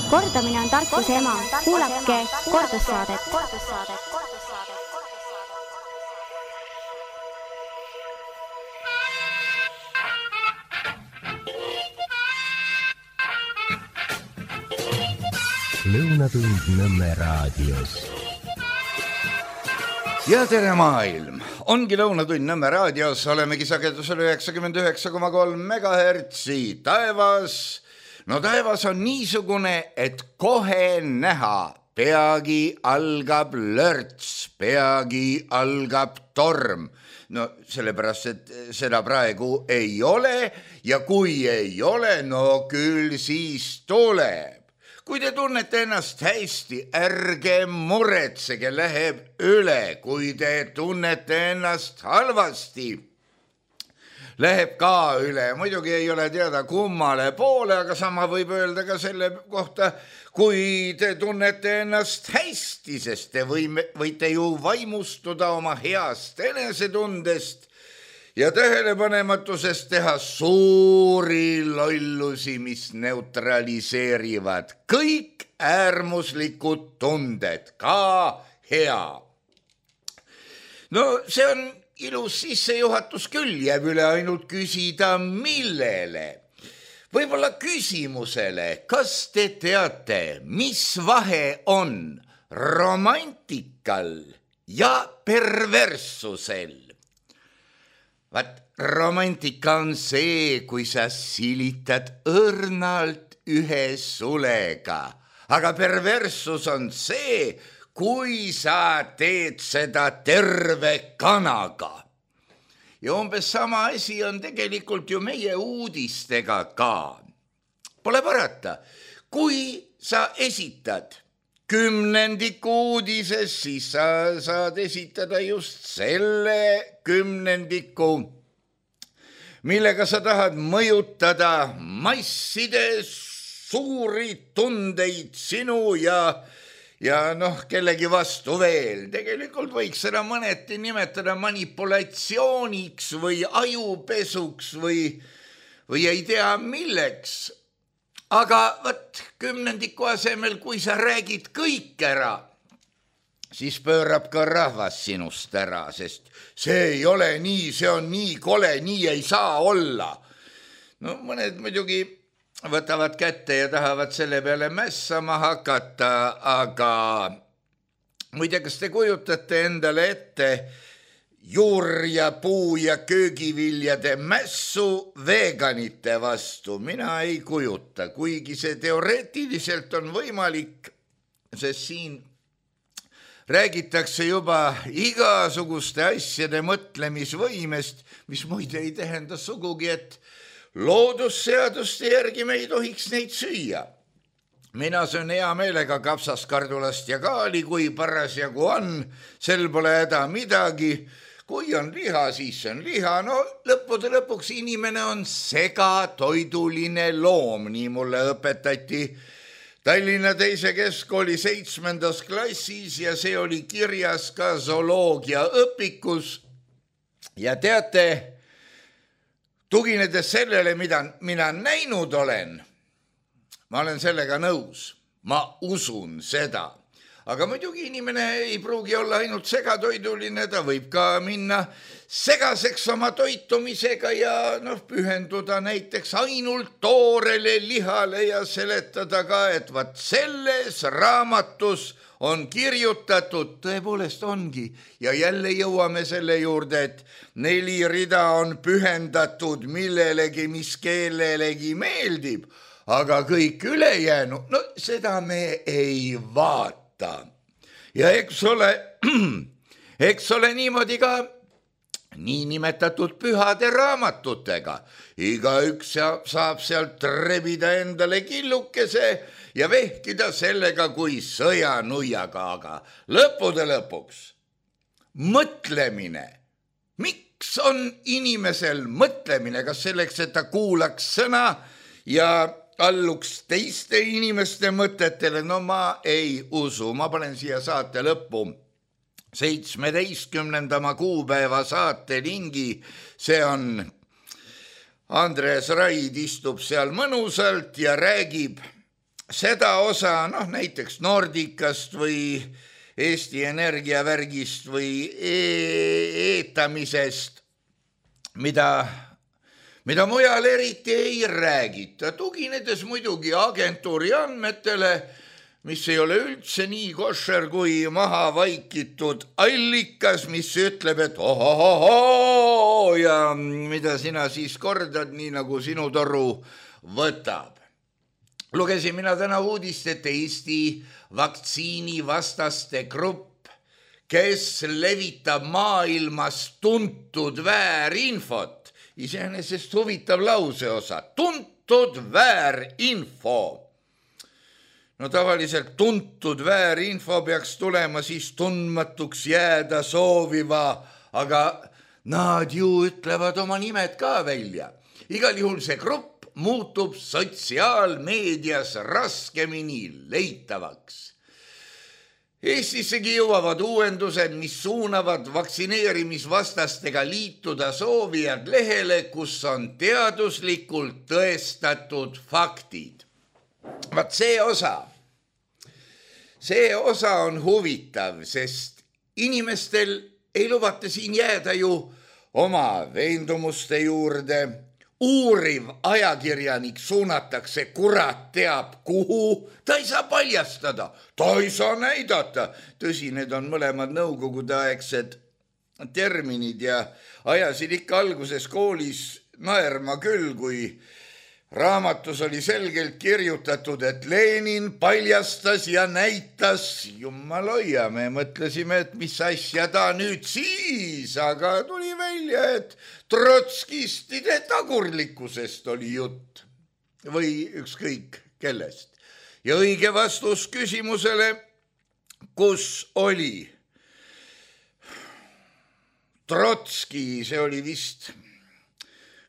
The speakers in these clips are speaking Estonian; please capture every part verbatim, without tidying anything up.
Kordamine on tarkuse ema. Kuulake kordussaadet. Lõunatund Nõmme raadios. Ja tere maailm! Ongi Lõunatund Nõmme raadios, olemegi sagedusel üheksakümmend üheksa koma kolm megahertsi. Taevas, no taevas on niisugune, et kohe näha. Peagi algab lörts, peagi algab torm. No sellepärast, et seda praegu ei ole ja kui ei ole, no küll siis tuleb. Kui te tunnete ennast hästi, ärge muretsege, läheb üle. Kui te tunnete ennast halvasti, läheb ka üle. Muidugi ei ole teada kummale poole, aga sama võib öelda ka selle kohta, kui te tunnete ennast hästi, sest te võime, võite ju vaimustuda oma heast enesetundest ja tähelepanematusest teha suuri lollusi, mis neutraliseerivad kõik äärmuslikud tunded, ka hea. No see on ilus sissejuhatus küll, jääb üle ainult küsida millele. Võib-olla küsimusele, kas te teate, mis vahe on romantikal ja perverssusel? Vaat romantika on see, kui sa silitad õrnalt ühe sulega, aga perverssus on see, kui sa teed seda terve kanaga. Ja umbes sama asi on tegelikult ju meie uudistega ka. Pole parata, kui sa esitad kümnendiku uudises, siis sa saad esitada just selle kümnendiku, millega sa tahad mõjutada masside suuri tundeid sinu ja, ja noh, kellegi vastu veel. Tegelikult võiks seda mõneti nimetada manipulatsiooniks või ajupesuks või, või ei tea milleks. Aga võt kümnendiku asemel, kui sa räägid kõik ära, siis pöörab ka rahvas sinust ära, sest see ei ole nii, see on nii kole, nii ei saa olla. No mõned muidugi võtavad kätte ja tahavad selle peale mässama hakata, aga muide, kas te kujutate endale ette juur- ja puu- ja köögiviljade mässu veganite vastu? Mina ei kujuta, kuigi see teoreetiliselt on võimalik, sest siin räägitakse juba igasuguste asjade mõtlemisvõimest, mis muide ei tähenda sugugi, et loodusseaduste järgi me ei tohiks neid süüa. Mina söön hea meelega kapsaskardulast ja kaali, kui parasjagu on, sel pole häda midagi. Kui on liha, siis on liha. No lõppude lõpuks inimene on segatoiduline loom, nii mulle õpetati Tallinna teise keskkooli seitsmendas klassis ja see oli kirjas ka zooloogia õpikus. Ja teate, tuginedes sellele, mida mina näinud olen, ma olen sellega nõus, ma usun seda. Aga muidugi inimene ei pruugi olla ainult segatoiduline, ta võib ka minna segaseks oma toitumisega ja noh, pühenduda näiteks ainult toorele lihale ja seletada ka, et vaat selles raamatus on kirjutatud, tõepoolest ongi, ja jälle jõuame selle juurde, et neli rida on pühendatud millelegi, mis kellelegi meeldib, aga kõik ülejäänu, no seda me ei vaata. Ja eks ole, eks ole niimoodi ka niinimetatud pühade raamatutega. Igaüks saab sealt rebida endale killukese ja vehkida sellega kui sõjanuiaga, aga lõppude lõpuks mõtlemine. Miks on inimesel mõtlemine? Kas selleks, et ta kuulaks sõna ja alluks teiste inimeste mõtetele? No ma ei usu, ma panen siia saate lõppu seitsmeteistkümnendama kuupäeva saate lingi, see on Andres Raid istub seal mõnusalt ja räägib seda osa, noh näiteks Nordicast või Eesti Energia värgist või eetamisest, mida, mida mujal eriti ei räägita, tuginedes muidugi agentuuri andmetele, mis ei ole üldse nii košer kui maha vaikitud allikas, mis ütleb, et ohohoho ja mida sina siis kordad, nii nagu sinu toru võtab. Lugesin mina täna uudist, et Eesti vaktsiinivastaste grupp, kes levitab maailmas tuntud väärinfot, iseenesest huvitav lauseosa, tuntud väärinfo. No tavaliselt tuntud väärinfo peaks tulema siis tundmatuks jääda sooviva, aga nad ju ütlevad oma nimed ka välja. Igal juhul see grupp muutub sotsiaalmeedias raskemini leitavaks. Eestissegi jõuavad uuendused, mis suunavad vaktsineerimisvastastega liituda soovijad lehele, kus on teaduslikult tõestatud faktid. Vaat see osa, see osa on huvitav, sest inimestel ei lubata siin jääda ju oma veendumuste juurde. Uuriv ajakirjanik suunatakse kurat teab kuhu, ta ei saa paljastada, ta ei saa näidata. Tõsi, need on mõlemad nõukogudeaegsed terminid ja ajasid ikka alguses koolis naerma küll, kui raamatus oli selgelt kirjutatud, et Lenin paljastas ja näitas, jumal hoia, me mõtlesime, et mis asja ta nüüd siis, aga tuli välja, et trotskistide tagurlikkusest oli jutt või ükskõik kellest. Ja õige vastus küsimusele, kus oli Trotski, see oli vist...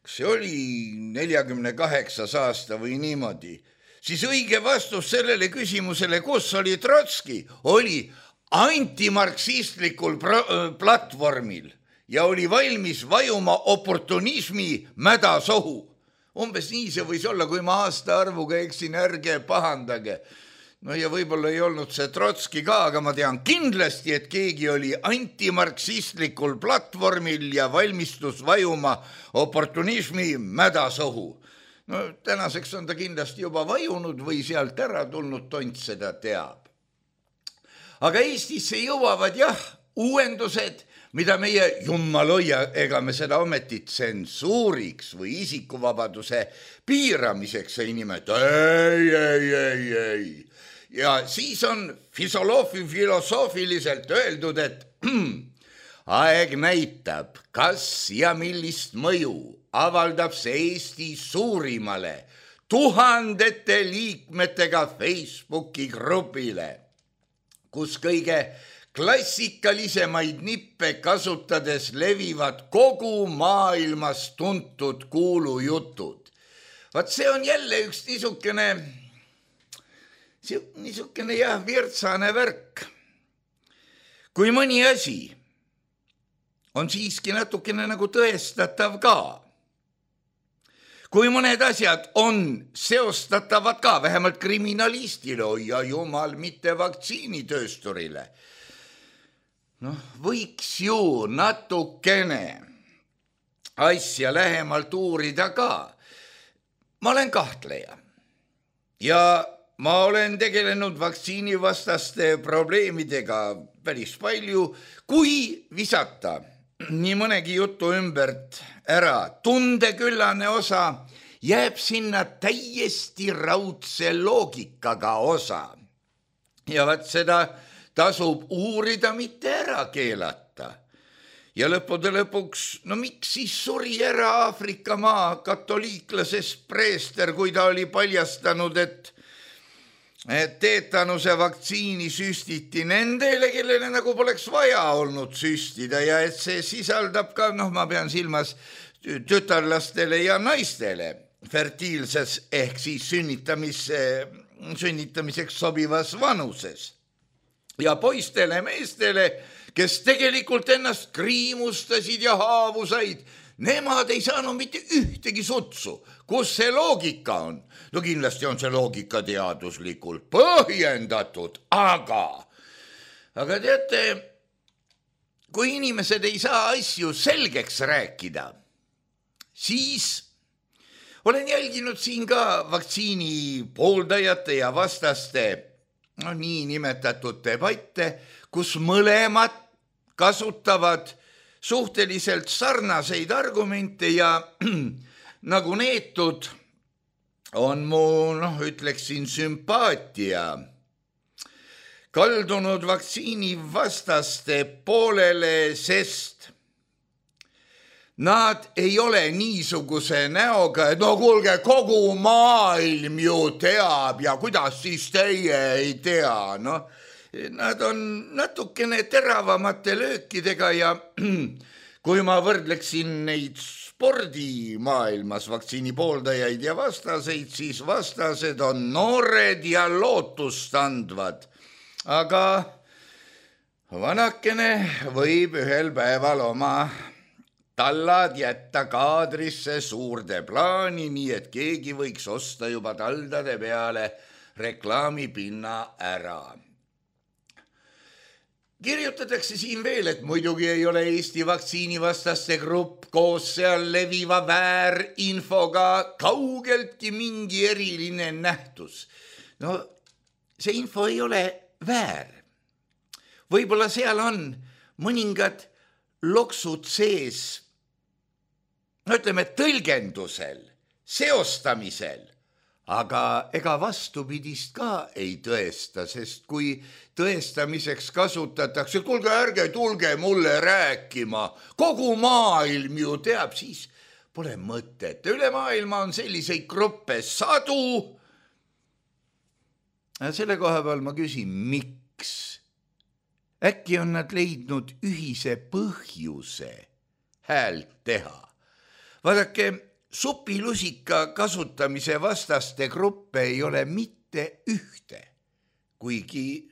see oli neljakümne kaheksas aasta või niimoodi, siis õige vastus sellele küsimusele, kus oli Trotski, oli antimarksistlikul platvormil ja oli valmis vajuma oportunismi mädasohu. Umbes nii see võis olla, kui ma aasta arvuga eksin, ärge pahandage. No ja võib-olla ei olnud see Trotski ka, aga ma tean kindlasti, et keegi oli antimarksistlikul platvormil ja valmistus vajuma oportunismi mädasohu. No tänaseks on ta kindlasti juba vajunud või sealt ära tulnud, tont seda teab. Aga Eestisse jõuavad jah uuendused, mida meie jummaloia, ega me seda ometi tsensuuriks või isikuvabaduse piiramiseks ei nimeta. Ei, ei, ei, ei. Ja siis on filosoofiliselt öeldud, et aeg näitab, kas ja millist mõju avaldab see Eesti suurimale tuhandete liikmetega Facebooki grupile, kus kõige klassikalisemaid nippe kasutades levivad kogu maailmas tuntud kuulujutud. Vaat see on jälle üks niisugune... niisugune jah, virtsane värk. Kui mõni asi on siiski natukene nagu tõestatav ka, kui mõned asjad on seostatavad ka, vähemalt kriminalistile, oi ja jumal, mitte vaktsiinitöösturile, noh, võiks ju natukene asja lähemalt uurida ka. Ma olen kahtleja ja ma olen tegelenud vaktsiinivastaste probleemidega päris palju, kui visata nii mõnegi jutu ümbert ära. Tundeküllane osa jääb sinna täiesti raudse loogikaga osa. Ja vaat seda tasub uurida, mitte ära keelata. Ja lõppude lõpuks, no miks siis suri ära Aafrika maa katoliiklasest preester, kui ta oli paljastanud, et teetanuse vaktsiini süstiti nendele, kellele nagu poleks vaja olnud süstida ja et see sisaldab ka, noh, ma pean silmas tütarlastele ja naistele fertiilses ehk siis sünnitamis, sünnitamiseks sobivas vanuses. Ja poistele meestele, kes tegelikult ennast kriimustasid ja haavu said, nemad ei saanud mitte ühtegi sutsu. Kus see loogika on? No kindlasti on see loogika teaduslikult põhjendatud, aga, aga teate, kui inimesed ei saa asju selgeks rääkida, siis olen jälginud siin ka vaktsiini pooldajate ja vastaste no, nii nimetatud debatte, kus mõlemad kasutavad suhteliselt sarnaseid argumente ja nagu neetud on mu, noh, ütleksin sümpaatia kaldunud vaktsiini vastaste poolele, sest nad ei ole niisuguse näoga, et no kuulge, kogu maailm ju teab ja kuidas siis teie ei tea, noh. Nad on natukene teravamate löökidega ja kui ma võrdleksin neid spordimaailmas vaktsiini pooldajaid ja vastaseid, siis vastased on noored ja lootustandvad. Aga vanakene võib ühel päeval oma tallad jätta kaadrisse suurde plaani, nii et keegi võiks osta juba taldade peale reklaamipinna ära. Kirjutatakse siin veel, et muidugi ei ole Eesti vaktsiinivastaste grupp koos seal leviva väärinfoga kaugeltki mingi eriline nähtus. No see info ei ole väär. Võib-olla seal on mõningad loksud sees, no ütleme tõlgendusel, seostamisel, aga ega vastupidist ka ei tõesta, sest kui tõestamiseks kasutatakse, kuulge ärge tulge mulle rääkima, kogu maailm ju teab, siis pole mõtet. Üle maailma on selliseid gruppe sadu. Selle koha peal ma küsin, miks? Äkki on nad leidnud ühise põhjuse häält teha. Vaadake, supilusika kasutamise vastaste gruppe ei ole mitte ühte, kuigi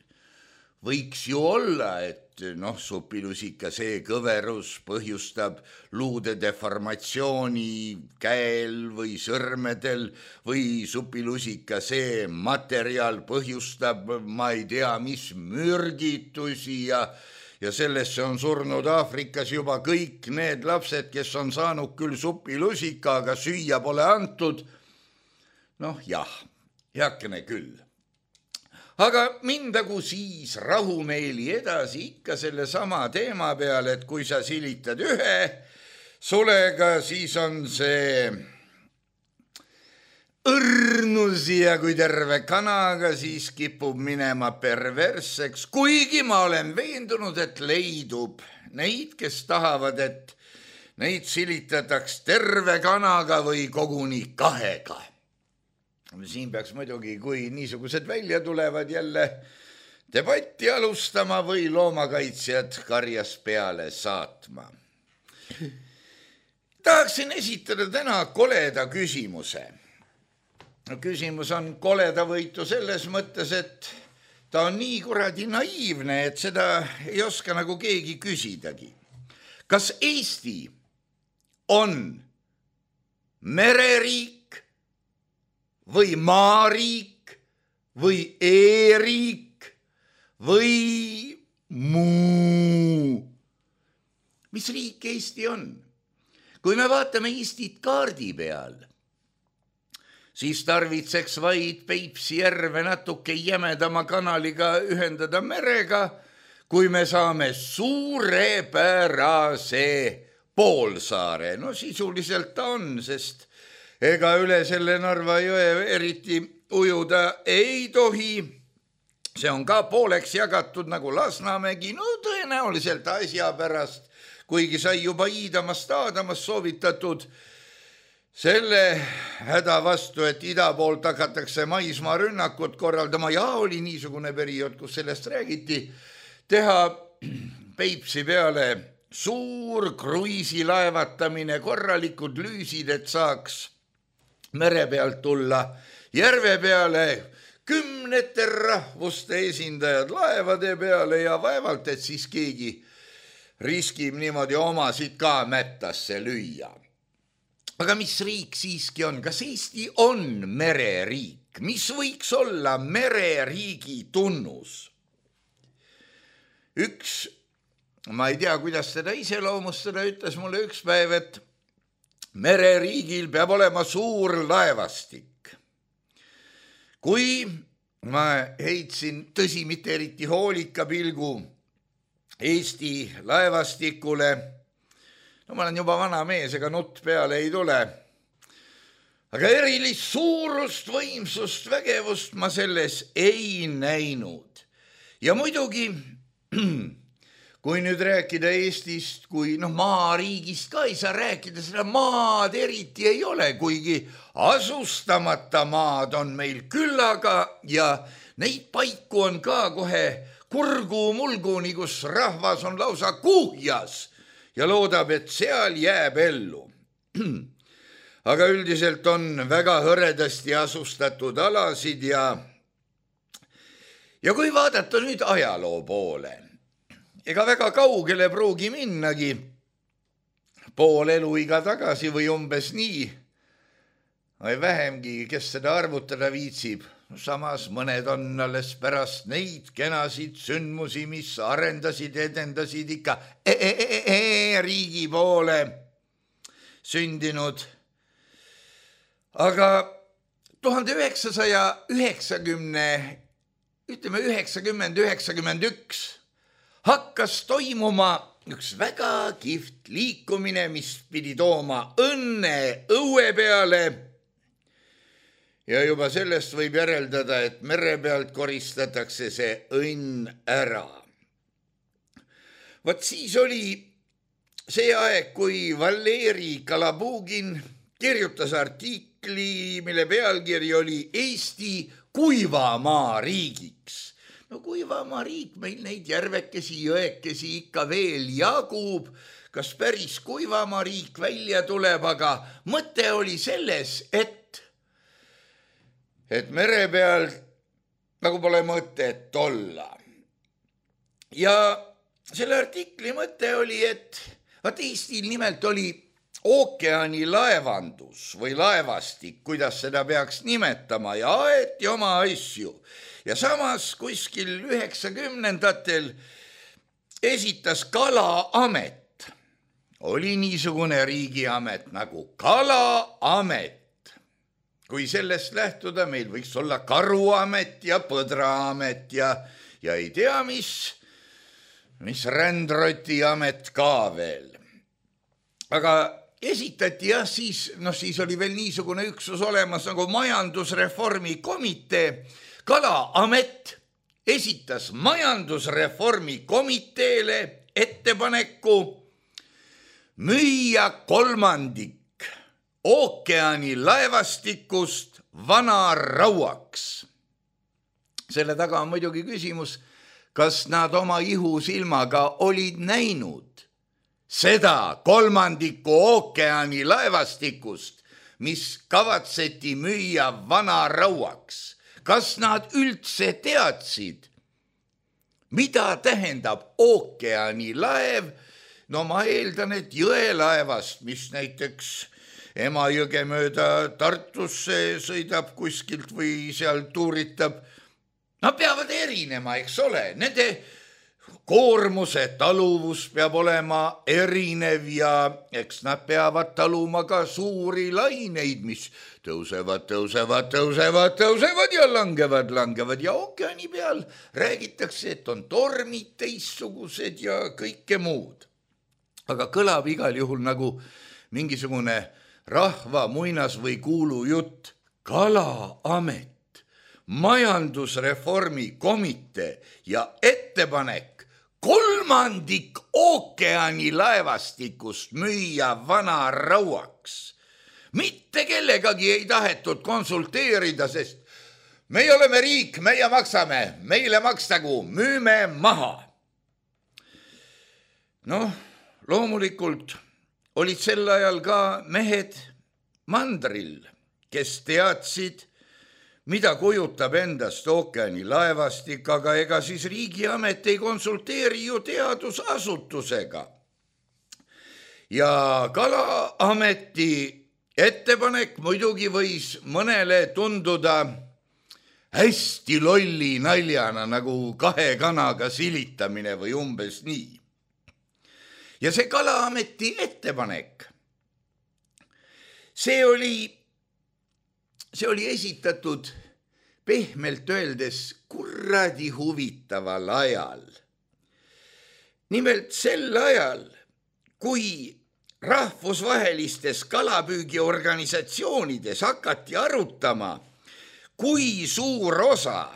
võiks ju olla, et noh, supilusika see kõverus põhjustab luude deformatsiooni käel või sõrmedel või supilusika see materjal põhjustab, ma ei tea, mis mürgitusi ja ja sellesse on surnud Aafrikas juba kõik need lapsed, kes on saanud küll supilusika, aga süüa pole antud. Noh jah, heakene küll. Aga mindagu siis rahumeeli edasi ikka selle sama teema peale, et kui sa silitad ühe sulega, siis on see õrnus ja kui terve kanaga, siis kipub minema perversseks, kuigi ma olen veendunud, et leidub neid, kes tahavad, et neid silitataks terve kanaga või koguni kahega. Siin peaks muidugi, kui niisugused välja tulevad, jälle debatti alustama või loomakaitsjad karjas peale saatma. Tahaksin esitada täna koleda küsimuse. Küsimus on koledavõitu selles mõttes, et ta on nii kuradi naiivne, et seda ei oska nagu keegi küsidagi. Kas Eesti on mereriik või maariik või e-riik või muu? Mis riik Eesti on? Kui me vaatame Eestit kaardi peal, siis tarvitseks vaid Peipsi järve natuke jämedama kanaliga ühendada merega, kui me saame suurepärase poolsaare. No sisuliselt ta on, sest ega üle selle Narva jõe eriti ujuda ei tohi. See on ka pooleks jagatud nagu Lasnamägi, no tõenäoliselt asja pärast, kuigi sai juba Iidamast Aadamast soovitatud selle häda vastu, et ida poolt hakatakse maismaa rünnakut korraldama ja oli niisugune periood, kus sellest räägiti, teha Peipsi peale suur kruiisilaevatamine, korralikud lüüsid, et saaks mere pealt tulla järve peale kümnete rahvuste esindajad laevade peale ja vaevalt, et siis keegi riskib niimoodi omasid ka mättasse lüüa. Aga mis riik siiski on? Kas Eesti on mereriik? Mis võiks olla mereriigi tunnus? Üks, ma ei tea, kuidas teda iseloomustada, ütles mulle üks päev, et mereriigil peab olema suur laevastik. Kui ma heitsin tõsi mitte eriti hoolika pilgu Eesti laevastikule, no ma olen juba vana mees, ega nutt peale ei tule. Aga erilist suurust, võimsust, vägevust ma selles ei näinud. Ja muidugi, kui nüüd rääkida Eestist, kui noh, maariigist ka ei saa rääkida, seda maad eriti ei ole, kuigi asustamata maad on meil küllaga ja neid paiku on ka kohe kurgu mulguni, kus rahvas on lausa kuhjas ja loodab, et seal jääb ellu. Aga üldiselt on väga hõredasti asustatud alasid ja, ja kui vaadata nüüd ajaloo poole, ega väga kaugele pruugi minnagi, pool eluiga tagasi või umbes nii, või vähemgi, kes seda arvutada viitsib. Samas mõned on alles pärast neid kenasid sündmusi, mis arendasid, edendasid ikka e -e -e -e riigi poole sündinud. Aga tuhande üheksasaja üheksakümne, ütleme üheksakümmend üheksakümmend üks hakkas toimuma üks väga kihvt liikumine, mis pidi tooma õnne õue peale. Ja juba sellest võib järeldada, et mere pealt koristatakse see õnn ära. Vot siis oli see aeg, kui Valeri Kalabugin kirjutas artikli, mille pealkiri oli Eesti kuivamaa riigiks. No kuivamaa riik, meil neid järvekesi, jõekesi ikka veel jagub. Kas päris kuivamaa riik välja tuleb, aga mõte oli selles, et et mere peal nagu pole mõtet olla. Ja selle artikli mõte oli, et vaat Eestil nimelt oli ookeani laevandus või laevastik, kuidas seda peaks nimetama, ja aeti oma asju. Ja samas kuskil üheksakümnendatel esitas Kalaamet. Oli niisugune riigiamet nagu Kalaamet. Kui sellest lähtuda, meil võiks olla Karuamet ja Põdraamet ja, ja ei tea, mis, mis Rändrotiamet ka veel. Aga esitati jah, siis, no siis oli veel niisugune üksus olemas nagu majandusreformi komitee. Kalaamet esitas majandusreformi komiteele ettepaneku müüa kolmandik ookeani laevastikust vanarauaks. Selle taga on muidugi küsimus, kas nad oma ihusilmaga olid näinud seda kolmandiku ookeani laevastikust, mis kavatseti müüa vanarauaks. Kas nad üldse teadsid, mida tähendab ookeani laev? No ma eeldan, et jõelaevast, mis näiteks Emajõge mööda Tartusse sõidab kuskilt või seal tuuritab. Nad peavad erinema, eks ole. Nende koormuse taluvus peab olema erinev ja eks nad peavad taluma ka suuri laineid, mis tõusevad, tõusevad, tõusevad, tõusevad ja langevad, langevad. Ja ookeani peal räägitakse, et on tormid teistsugused ja kõike muud. Aga kõlab igal juhul nagu mingisugune rahva muinas või kuulu jutt. Kalaamet, majandusreformi komitee ja ettepanek kolmandik ookeani laevastikust müüa vanarauaks. Mitte kellegagi ei tahetud konsulteerida, sest meie oleme riik, meie maksame, meile makstagu, müüme maha. Noh, loomulikult olid sel ajal ka mehed mandril, kes teadsid, mida kujutab endast ookeani laevastik, aga ega siis riigiamet ei konsulteeri ju teadusasutusega. Ja Kalaameti ettepanek muidugi võis mõnele tunduda hästi lolli naljana, nagu kahe kanaga silitamine või umbes nii. Ja see Kalaameti ettepanek, see oli, see oli esitatud pehmelt öeldes kurradi huvitaval ajal. Nimelt sel ajal, kui rahvusvahelistes kalapüügiorganisatsioonides hakati arutama, kui suur osa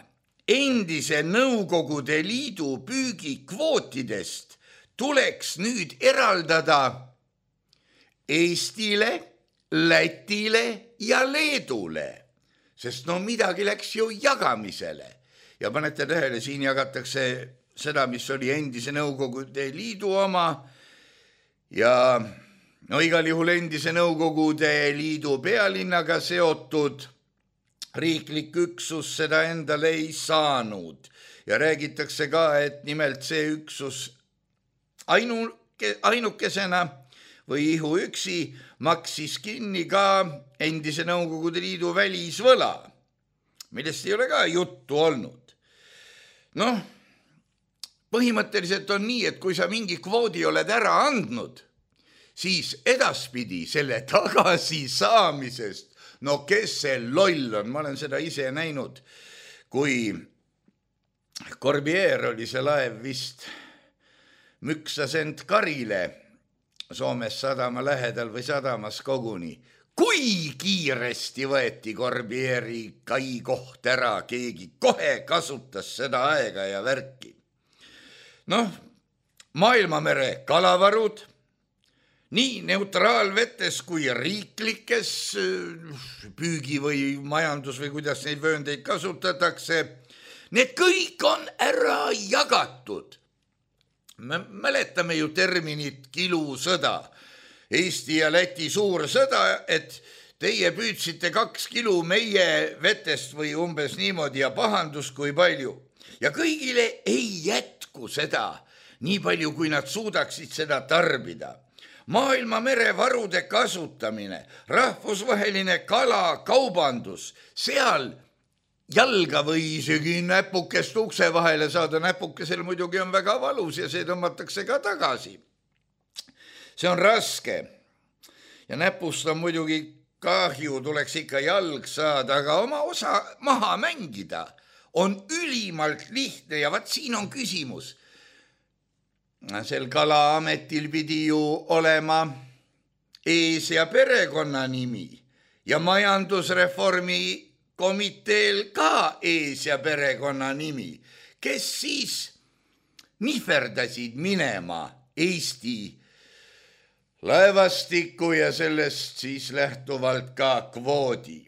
endise Nõukogude Liidu püügikvootidest tuleks nüüd eraldada Eestile, Lätile ja Leedule, sest no midagi läks ju jagamisele. Ja panete tähele, siin jagatakse seda, mis oli endise Nõukogude Liidu oma ja no igal juhul endise Nõukogude Liidu pealinnaga seotud riiklik üksus seda endale ei saanud. Ja räägitakse ka, et nimelt see üksus ainuke, ainukesena või ihu üksi maksis kinni ka endise Nõukogude Liidu välisvõla, millest ei ole ka juttu olnud. Noh, põhimõtteliselt on nii, et kui sa mingi kvoodi oled ära andnud, siis edaspidi selle tagasi saamisest, no kes see loll on, ma olen seda ise näinud, kui Corbière oli see laev vist, müksas end karile Soomes sadama lähedal või sadamas koguni. Kui kiiresti võeti Corbière'i kai koht ära, keegi kohe kasutas seda aega ja värki. Noh, maailmamere kalavarud, nii neutraalvetes kui riiklikes püügi või majandus või kuidas neid vööndeid kasutatakse, need kõik on ära jagatud. Me mäletame ju terminit kilusõda, Eesti ja Läti suur sõda, et teie püüdsite kaks kilu meie vetest või umbes niimoodi ja pahandus kui palju. Ja kõigile ei jätku seda, nii palju kui nad suudaksid seda tarbida. Maailma merevarude kasutamine, rahvusvaheline kalakaubandus, seal jalga või isegi näpukest ukse vahele saada, näpukesel muidugi on väga valus ja see tõmmatakse ka tagasi. See on raske ja näpust on muidugi kahju, tuleks ikka jalg saada, aga oma osa maha mängida on ülimalt lihtne ja vaat siin on küsimus. Sel Kalaametil pidi ju olema ees- ja perekonnanimi ja majandusreformi komiteel ka ees- ja perekonnanimi, kes siis nihverdasid minema Eesti laevastikku ja sellest siis lähtuvalt ka kvoodi.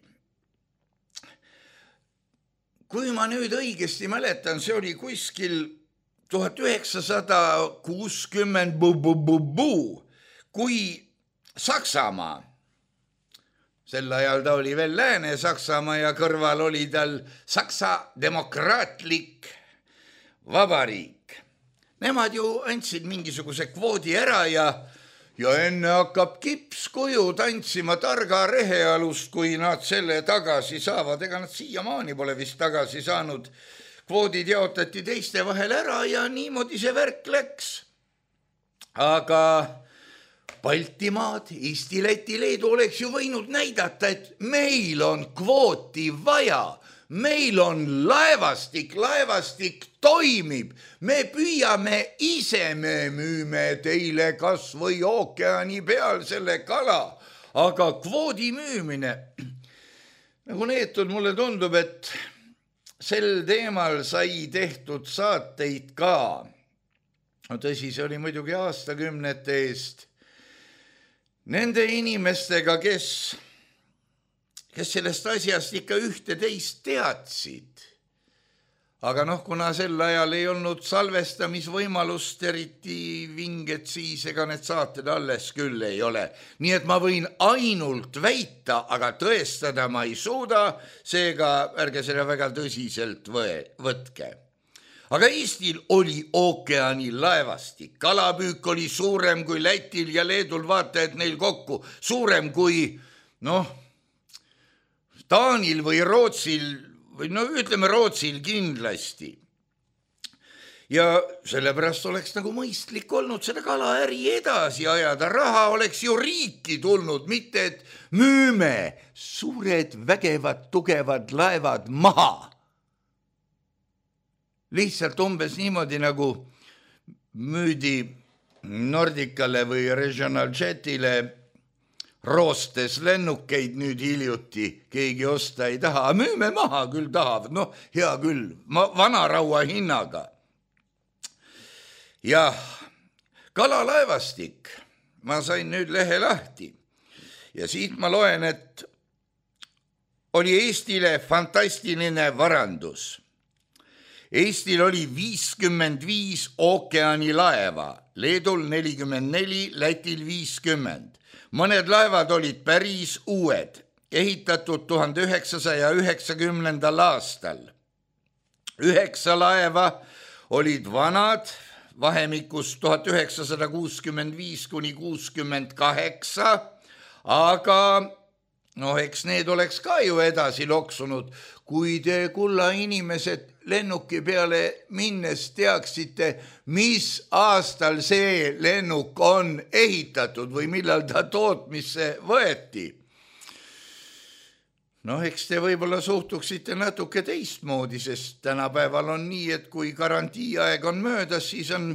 Kui ma nüüd õigesti mäletan, see oli kuskil tuhat üheksasada kuuskümmend bu-bu-bu-bu, kui Saksamaa, sel ajal ta oli veel Lääne-Saksamaa ja kõrval oli tal Saksa demokraatlik vabariik. Nemad ju andsid mingisuguse kvoodi ära ja, ja enne hakkab kipskuju tantsima targa rehealust, kui nad selle tagasi saavad. Ega nad siiamaani pole vist tagasi saanud. Kvoodid jaotati teiste vahel ära ja niimoodi see värk läks. Aga Baltimaad, Eesti, Läti, Leedu oleks ju võinud näidata, et meil on kvooti vaja, meil on laevastik, laevastik toimib, me püüame ise, me müüme teile kas või ookeani peal selle kala, aga kvoodi müümine, nagu neetud mulle tundub, et sel teemal sai tehtud saateid ka. No tõsi, see oli muidugi aastakümnete eest. Nende inimestega, kes, kes sellest asjast ikka ühte teist teadsid. aga noh, kuna sel ajal ei olnud salvestamisvõimalust eriti vinget, siis ega need saated alles küll ei ole. Nii et ma võin ainult väita, aga tõestada ma ei suuda, seega ärge seda väga tõsiselt võtke. Aga Eestil oli ookeani laevastik. Kalapüük oli suurem kui Lätil ja Leedul, vaata, et neil kokku. Suurem kui, noh, Taanil või Rootsil, või no ütleme Rootsil kindlasti. Ja sellepärast oleks nagu mõistlik olnud seda kalaäri edasi ajada. Raha oleks ju riiki tulnud, mitte et müüme suured, vägevad, tugevad laevad maha. Lihtsalt umbes niimoodi nagu müüdi Nordicale või Regional Jetile roostes lennukeid nüüd hiljuti, keegi osta ei taha. Müüme maha, küll tahavad, noh, hea küll, vanaraua hinnaga. Jah, kalalaevastik, ma sain nüüd lehe lahti ja siit ma loen, et oli Eestile fantastiline varandus. Eestil oli viiskümmend viis ookeani laeva, Leedul nelikümmend neli, Lätil viiskümmend. Mõned laevad olid päris uued, ehitatud tuhande üheksasaja üheksakümnendal aastal. Üheksa laeva olid vanad, vahemikus tuhat üheksasada kuuskümmend viis kuni kuuskümmend kaheksa, aga noh, eks need oleks ka ju edasi loksunud, kui te kulla inimesed lennuki peale minnes teaksite, mis aastal see lennuk on ehitatud või millal ta tootmisse võeti. Noh, eks te võib-olla suhtuksite natuke teistmoodi, sest tänapäeval on nii, et kui garantiiaeg on möödas, siis on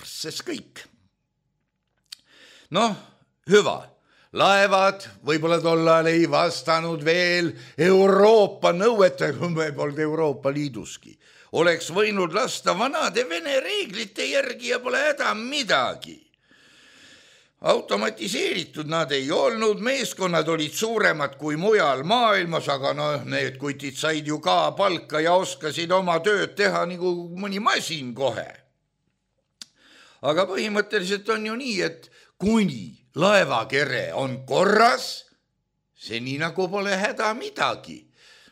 sest kõik. Noh, hüva. Laevad võib-olla tollal ei vastanud veel Euroopa nõuete, kui me polnud Euroopa Liiduski. Oleks võinud lasta vanade Vene reeglite järgi ja pole häda midagi. Automatiseeritud nad ei olnud, meeskonnad olid suuremad kui mujal maailmas, aga noh, need kutid said ju ka palka ja oskasid oma tööd teha nagu mõni masin kohe. Aga põhimõtteliselt on ju nii, et kuni laevakere on korras, see nii nagu pole häda midagi.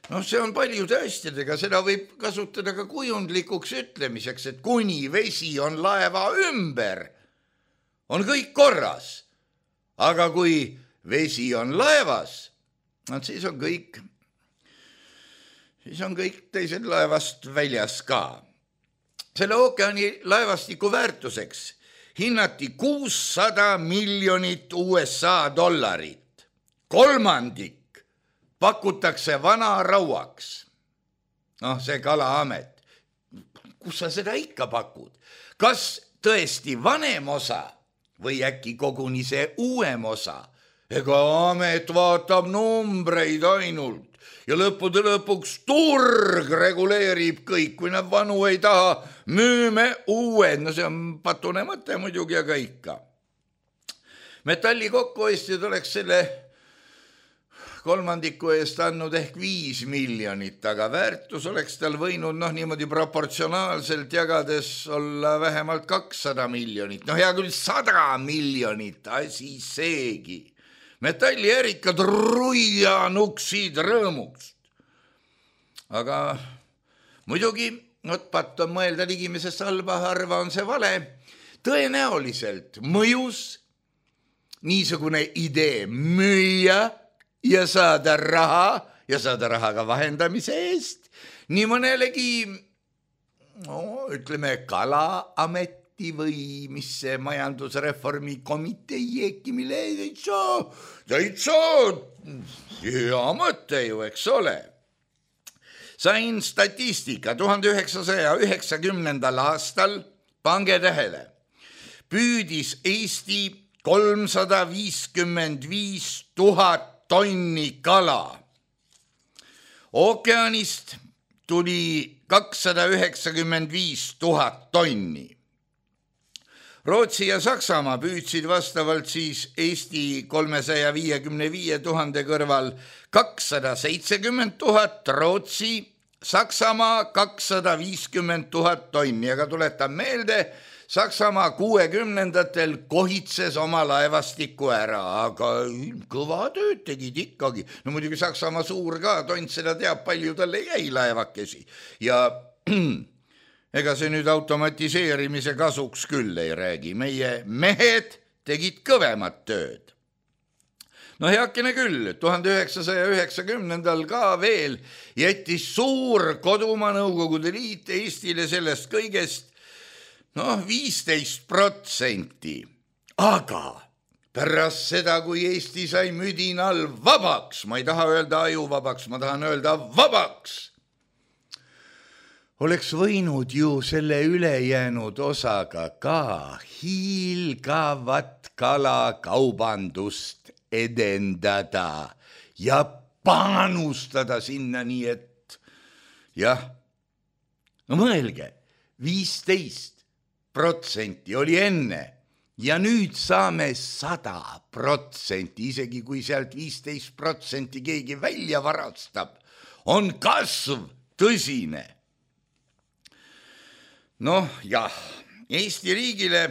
No see on paljude asjadega, seda võib kasutada ka kujundlikuks ütlemiseks, et kuni vesi on laeva ümber, on kõik korras. Aga kui vesi on laevas, siis on kõik, siis on kõik teised laevast väljas ka. Selle ookeani laevastiku väärtuseks hinnati kuussada miljonit U S A dollarit. Kolmandik pakutakse vanarauaks. Noh, see Kalaamet. Kus sa seda ikka pakud? Kas tõesti vanem osa või äkki koguni see uuem osa? Ega amet vaatab numbreid ainult ja lõppude lõpuks turg reguleerib kõik, kui nad vanu ei taha, müüme uued, no see on patune mõte muidugi, aga ikka. Metalli kokkuostjad oleks selle kolmandiku eest andnud ehk viis miljonit, aga väärtus oleks tal võinud noh niimoodi proportsionaalselt jagades olla vähemalt kakssada miljonit. No hea küll sada miljonit, asi seegi. Metalli ärikad ruianuksid rõõmust. Aga muidugi, not patt on mõelda ligimisest halba, harva on see vale. Tõenäoliselt mõjus niisugune idee müüa ja saada raha ja saada raha ka vahendamise eest. Nii mõnelegi, no, ütleme, Kalaamet või mis see majandusreformi komitee äkki, mille täitsa, täitsa hea mõte ju, eks ole. Sain statistika tuhande üheksasaja üheksakümnendal aastal, pange tähele, püüdis Eesti kolmsada viiskümmend viis tuhat tonni kala. Ookeanist tuli kakssada üheksakümmend viis tuhat tonni. Rootsi ja Saksamaa püüdsid vastavalt siis Eesti kolmesaja viiekümne viie tuhande kõrval kakssada seitsekümmend tuhat, Rootsi Saksamaa kakssada viiskümmend tuhat tonni, aga tuletan meelde, Saksamaa kuuekümnendatel kohitses oma laevastiku ära, aga kõva tööd tegid ikkagi. No muidugi Saksamaa suur ka, tont seda teab, palju talle jäi laevakesi. Ja ega see nüüd automatiseerimise kasuks küll ei räägi. Meie mehed tegid kõvemat tööd. No heakene küll, tuhande üheksasaja üheksakümnendal ka veel jättis suur kodumaa Nõukogude Liit Eestile sellest kõigest noh, viisteist protsenti. Aga pärast seda, kui Eesti sai müdinal vabaks, ma ei taha öelda ajuvabaks, ma tahan öelda vabaks, oleks võinud ju selle ülejäänud osaga ka hiilgavat kalakaubandust edendada ja panustada sinna, nii et jah, no mõelge, viisteist protsenti oli enne ja nüüd saame sada protsenti, isegi kui sealt viisteist protsenti keegi välja varastab, on kasv tõsine. Noh jah, Eesti riigile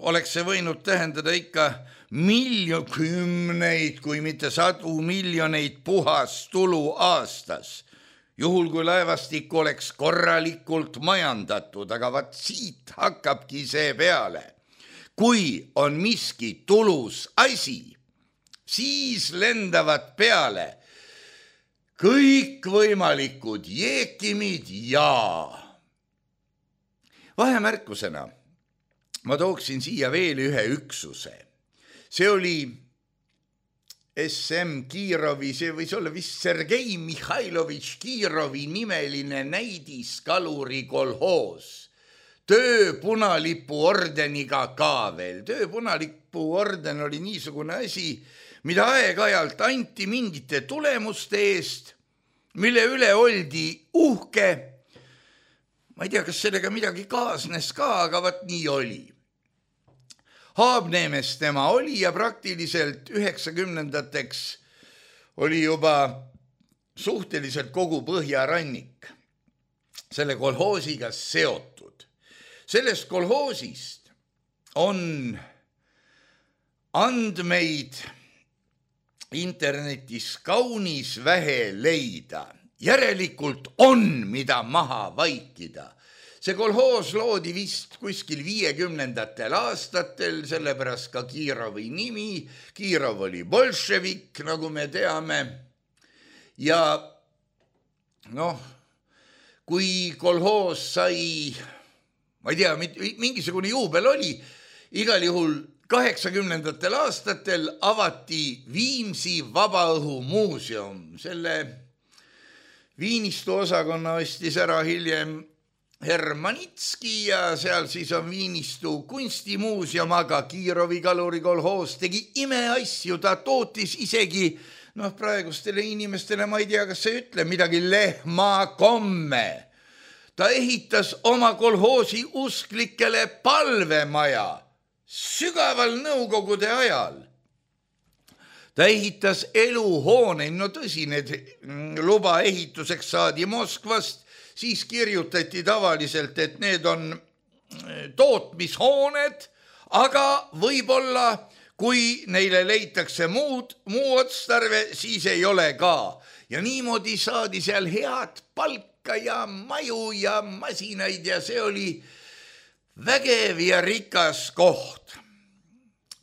oleks see võinud tähendada ikka miljon, kümneid, kui mitte sadu miljoneid puhas tulu aastas. Juhul kui laevastik oleks korralikult majandatud, aga vaat siit hakkabki see peale. Kui on miski tulus asi, siis lendavad peale kõikvõimalikud jeekimid ja vahemärkusena ma tooksin siia veel ühe üksuse. See oli S M Kirovi, see võis olla vist Sergei Mihhailovitš Kirovi nimeline näidiskaluri kolhoos. Töö punalipu ordeniga ka veel. Töö punalipu orden oli niisugune asi, mida aeg-ajalt anti mingite tulemuste eest, mille üle oldi uhke. Ma ei tea, kas sellega midagi kaasnes ka, aga vat nii oli. Haabneemes tema oli ja praktiliselt üheksakümnendateks oli juba suhteliselt kogu põhjarannik selle kolhoosiga seotud. Sellest kolhoosist on andmeid internetis kaunis vähe leida. Järelikult on, mida maha vaikida. See kolhoos loodi vist kuskil viiekümnendatel aastatel, sellepärast ka Kirovi nimi. Kirov oli bolševik, nagu me teame. Ja noh, kui kolhoos sai, ma ei tea, mingisugune juubel oli, igal juhul kaheksakümnendatel aastatel avati Viimsi Vabaõhumuuseum. Selle Viinistu osakonna ostis ära hiljem Hermanitski ja seal siis on Viinistu kunstimuuseum, aga Kirovi kaluri kolhoos tegi imeasju, ta tootis isegi, noh praegustele inimestele, ma ei tea, kas see ütle midagi, lehmakomme. Ta ehitas oma kolhoosi usklikele palvemaja sügaval Nõukogude ajal. Ta ehitas eluhoone, no tõsi, need luba ehituseks saadi Moskvast, siis kirjutati tavaliselt, et need on tootmishooned, aga võib-olla, kui neile leitakse muud, muu otstarve, siis ei ole ka. Ja niimoodi saadi seal head palka ja maju ja masinaid ja see oli vägev ja rikas koht.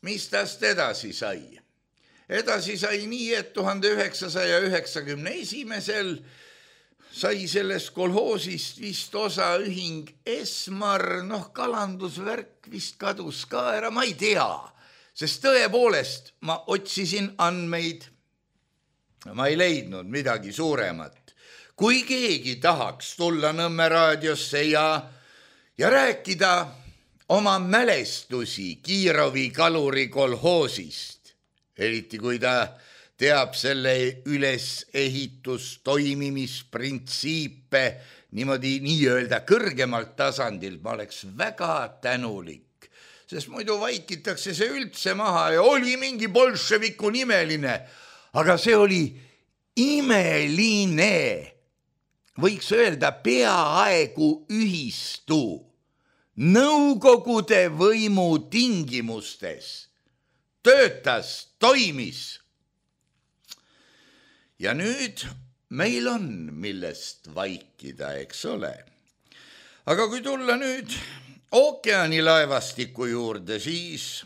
Mis tast edasi sai? Edasi sai nii, et tuhande üheksasaja üheksakümne esimesel sai sellest kolhoosist vist osa ühing Esmar, noh kalandusvärk vist kadus ka ära, ma ei tea, sest tõepoolest ma otsisin andmeid, ma ei leidnud midagi suuremat. Kui keegi tahaks tulla Nõmme raadiosse ja, ja rääkida oma mälestusi Kirovi kaluri kolhoosist, eriti kui ta teab selle ülesehitus toimimisprintsiipe niimoodi nii-öelda kõrgemalt tasandil, ma oleks väga tänulik, sest muidu vaikitakse see üldse maha ja oli mingi bolševiku nimeline, aga see oli imeline. võiks öelda peaaegu ühistu nõukogude võimu tingimustes töötas, toimis. Ja nüüd meil on millest vaikida, eks ole. Aga kui tulla nüüd ookeanilaevastiku juurde, siis,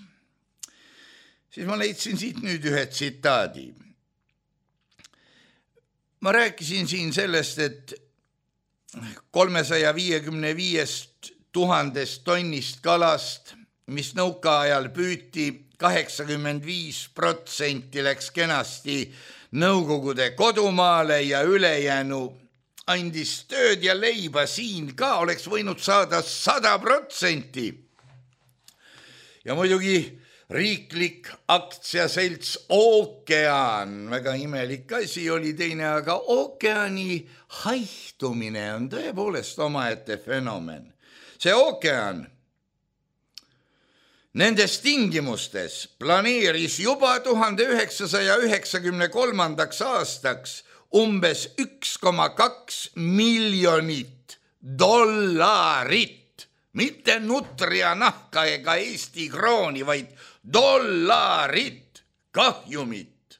siis ma leidsin siit nüüd ühe tsitaadi. Ma rääkisin siin sellest, et kolmesaja viiekümne viiest tuhandest tonnist kalast, mis nõukaajal püüti, kaheksakümmend viis protsenti läks kenasti Nõukogude kodumaale ja ülejäänu andis tööd ja leiba siin ka, oleks võinud saada sada protsenti. Ja muidugi riiklik aktsiaselts Ookean, väga imelik asi oli teine, aga ookeani haihtumine on tõepoolest omaette fenomen. See ookean nendes tingimustes planeeris juba tuhande üheksasaja üheksakümne kolmandaks aastaks umbes üks koma kaks miljonit dollarit, mitte nutria nahka ega Eesti krooni, vaid dollarit kahjumit.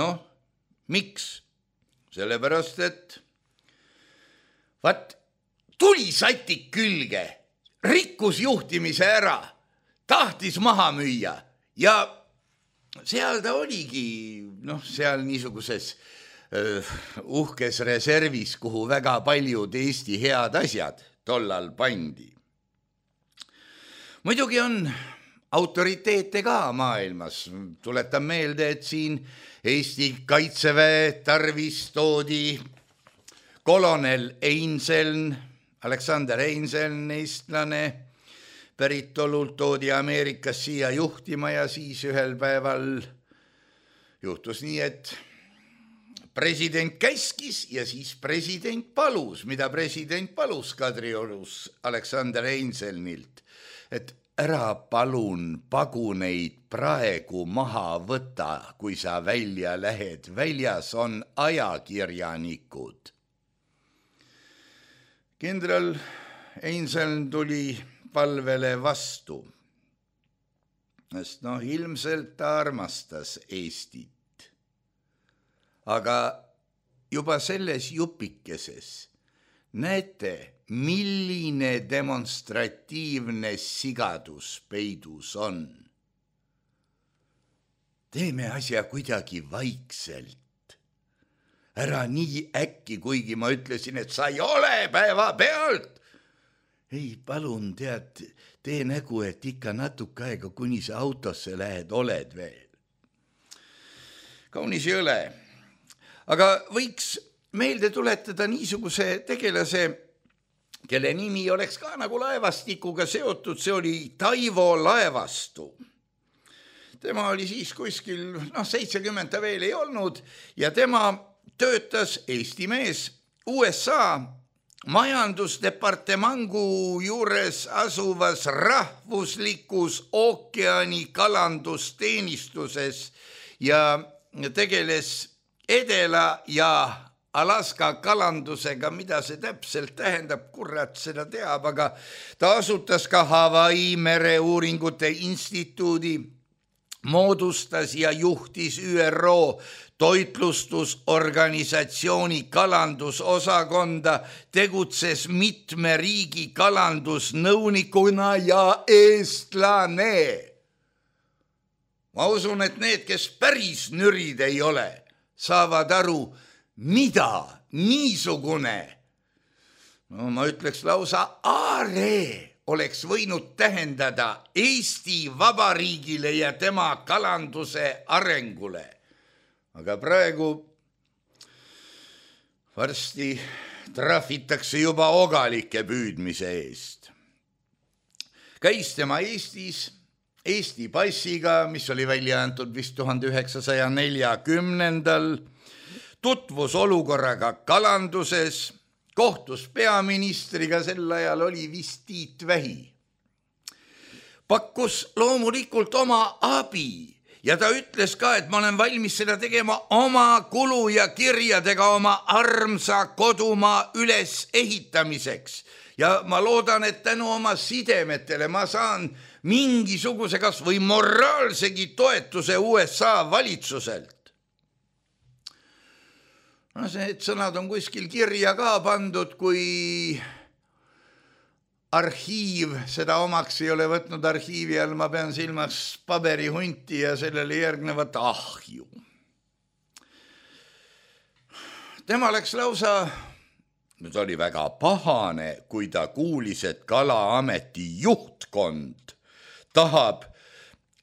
Noh, miks? Sellepärast, et vaat tuli satik külge, rikkus juhtimise ära, tahtis maha müüa ja seal ta oligi, noh, seal niisuguses uh, uhkes reservis, kuhu väga paljud Eesti head asjad tollal pandi. Muidugi on autoriteete ka maailmas. Tuletan meelde, et siin Eesti kaitseväe tarvis toodi kolonel Einseln, Alexander Einseln, eestlane, päritolult toodi Ameerikas siia juhtima ja siis ühel päeval juhtus nii, et president käskis ja siis president palus, mida president palus Kadriorus Alexander Einselnilt, et ära palun paguneid praegu maha võta, kui sa välja lähed, väljas on ajakirjanikud. Kindral Einseln tuli palvele vastu, sest noh, ilmselt ta armastas Eestit. Aga juba selles jupikeses näete, milline demonstratiivne sigadus peidus on. Teeme asja kuidagi vaikselt. Ära nii äkki, kuigi ma ütlesin, et sa ei ole päeva pealt. Ei, palun, tead, tee nägu, et ikka natuke aega, kuni sa autosse lähed, oled veel. Kaunis ei ole. Aga võiks meelde tuletada niisuguse tegelase, kelle nimi oleks ka nagu laevastikuga seotud, see oli Taivo Laevastu. Tema oli siis kuskil, noh, seitsekümmend ta veel ei olnud ja tema töötas Eesti mees U S A majandusdepartemangu juures asuvas rahvuslikus ookeani kalandusteenistuses ja tegeles Edela ja Alaska kalandusega, mida see täpselt tähendab, kurat seda teab, aga ta asutas ka Hawaii mereuuringute instituudi, moodustas ja juhtis Ü R O toitlustusorganisatsiooni kalandusosakonda, tegutses mitme riigi kalandusnõunikuna ja eestlane. Ma usun, et need, kes päris nürid ei ole, saavad aru, mida niisugune, no ma ütleks lausa aare, oleks võinud tähendada Eesti Vabariigile ja tema kalanduse arengule. Aga praegu varsti trahvitakse juba ogalike püüdmise eest. Käis tema Eestis Eesti passiga, mis oli välja antud vist tuhande üheksasaja neljakümnendal, tutvus olukorraga kalanduses, kohtus peaministriga, sel ajal oli vist Tiit Vähi. Pakkus loomulikult oma abi ja ta ütles ka, et ma olen valmis seda tegema oma kulu ja kirjadega oma armsa kodumaa üles ehitamiseks. Ja ma loodan, et tänu oma sidemetele ma saan mingisuguse kas või moraalsegi toetuse U S A valitsuselt. No see, et sõnad on kuskil kirja ka pandud, kui arhiiv seda omaks ei ole võtnud. Arhiivi all ma pean silmas paberihunti ja sellele järgnevat ahju. Tema läks lausa, nüüd oli väga pahane, kui ta kuulis, et Kalaameti juhtkond tahab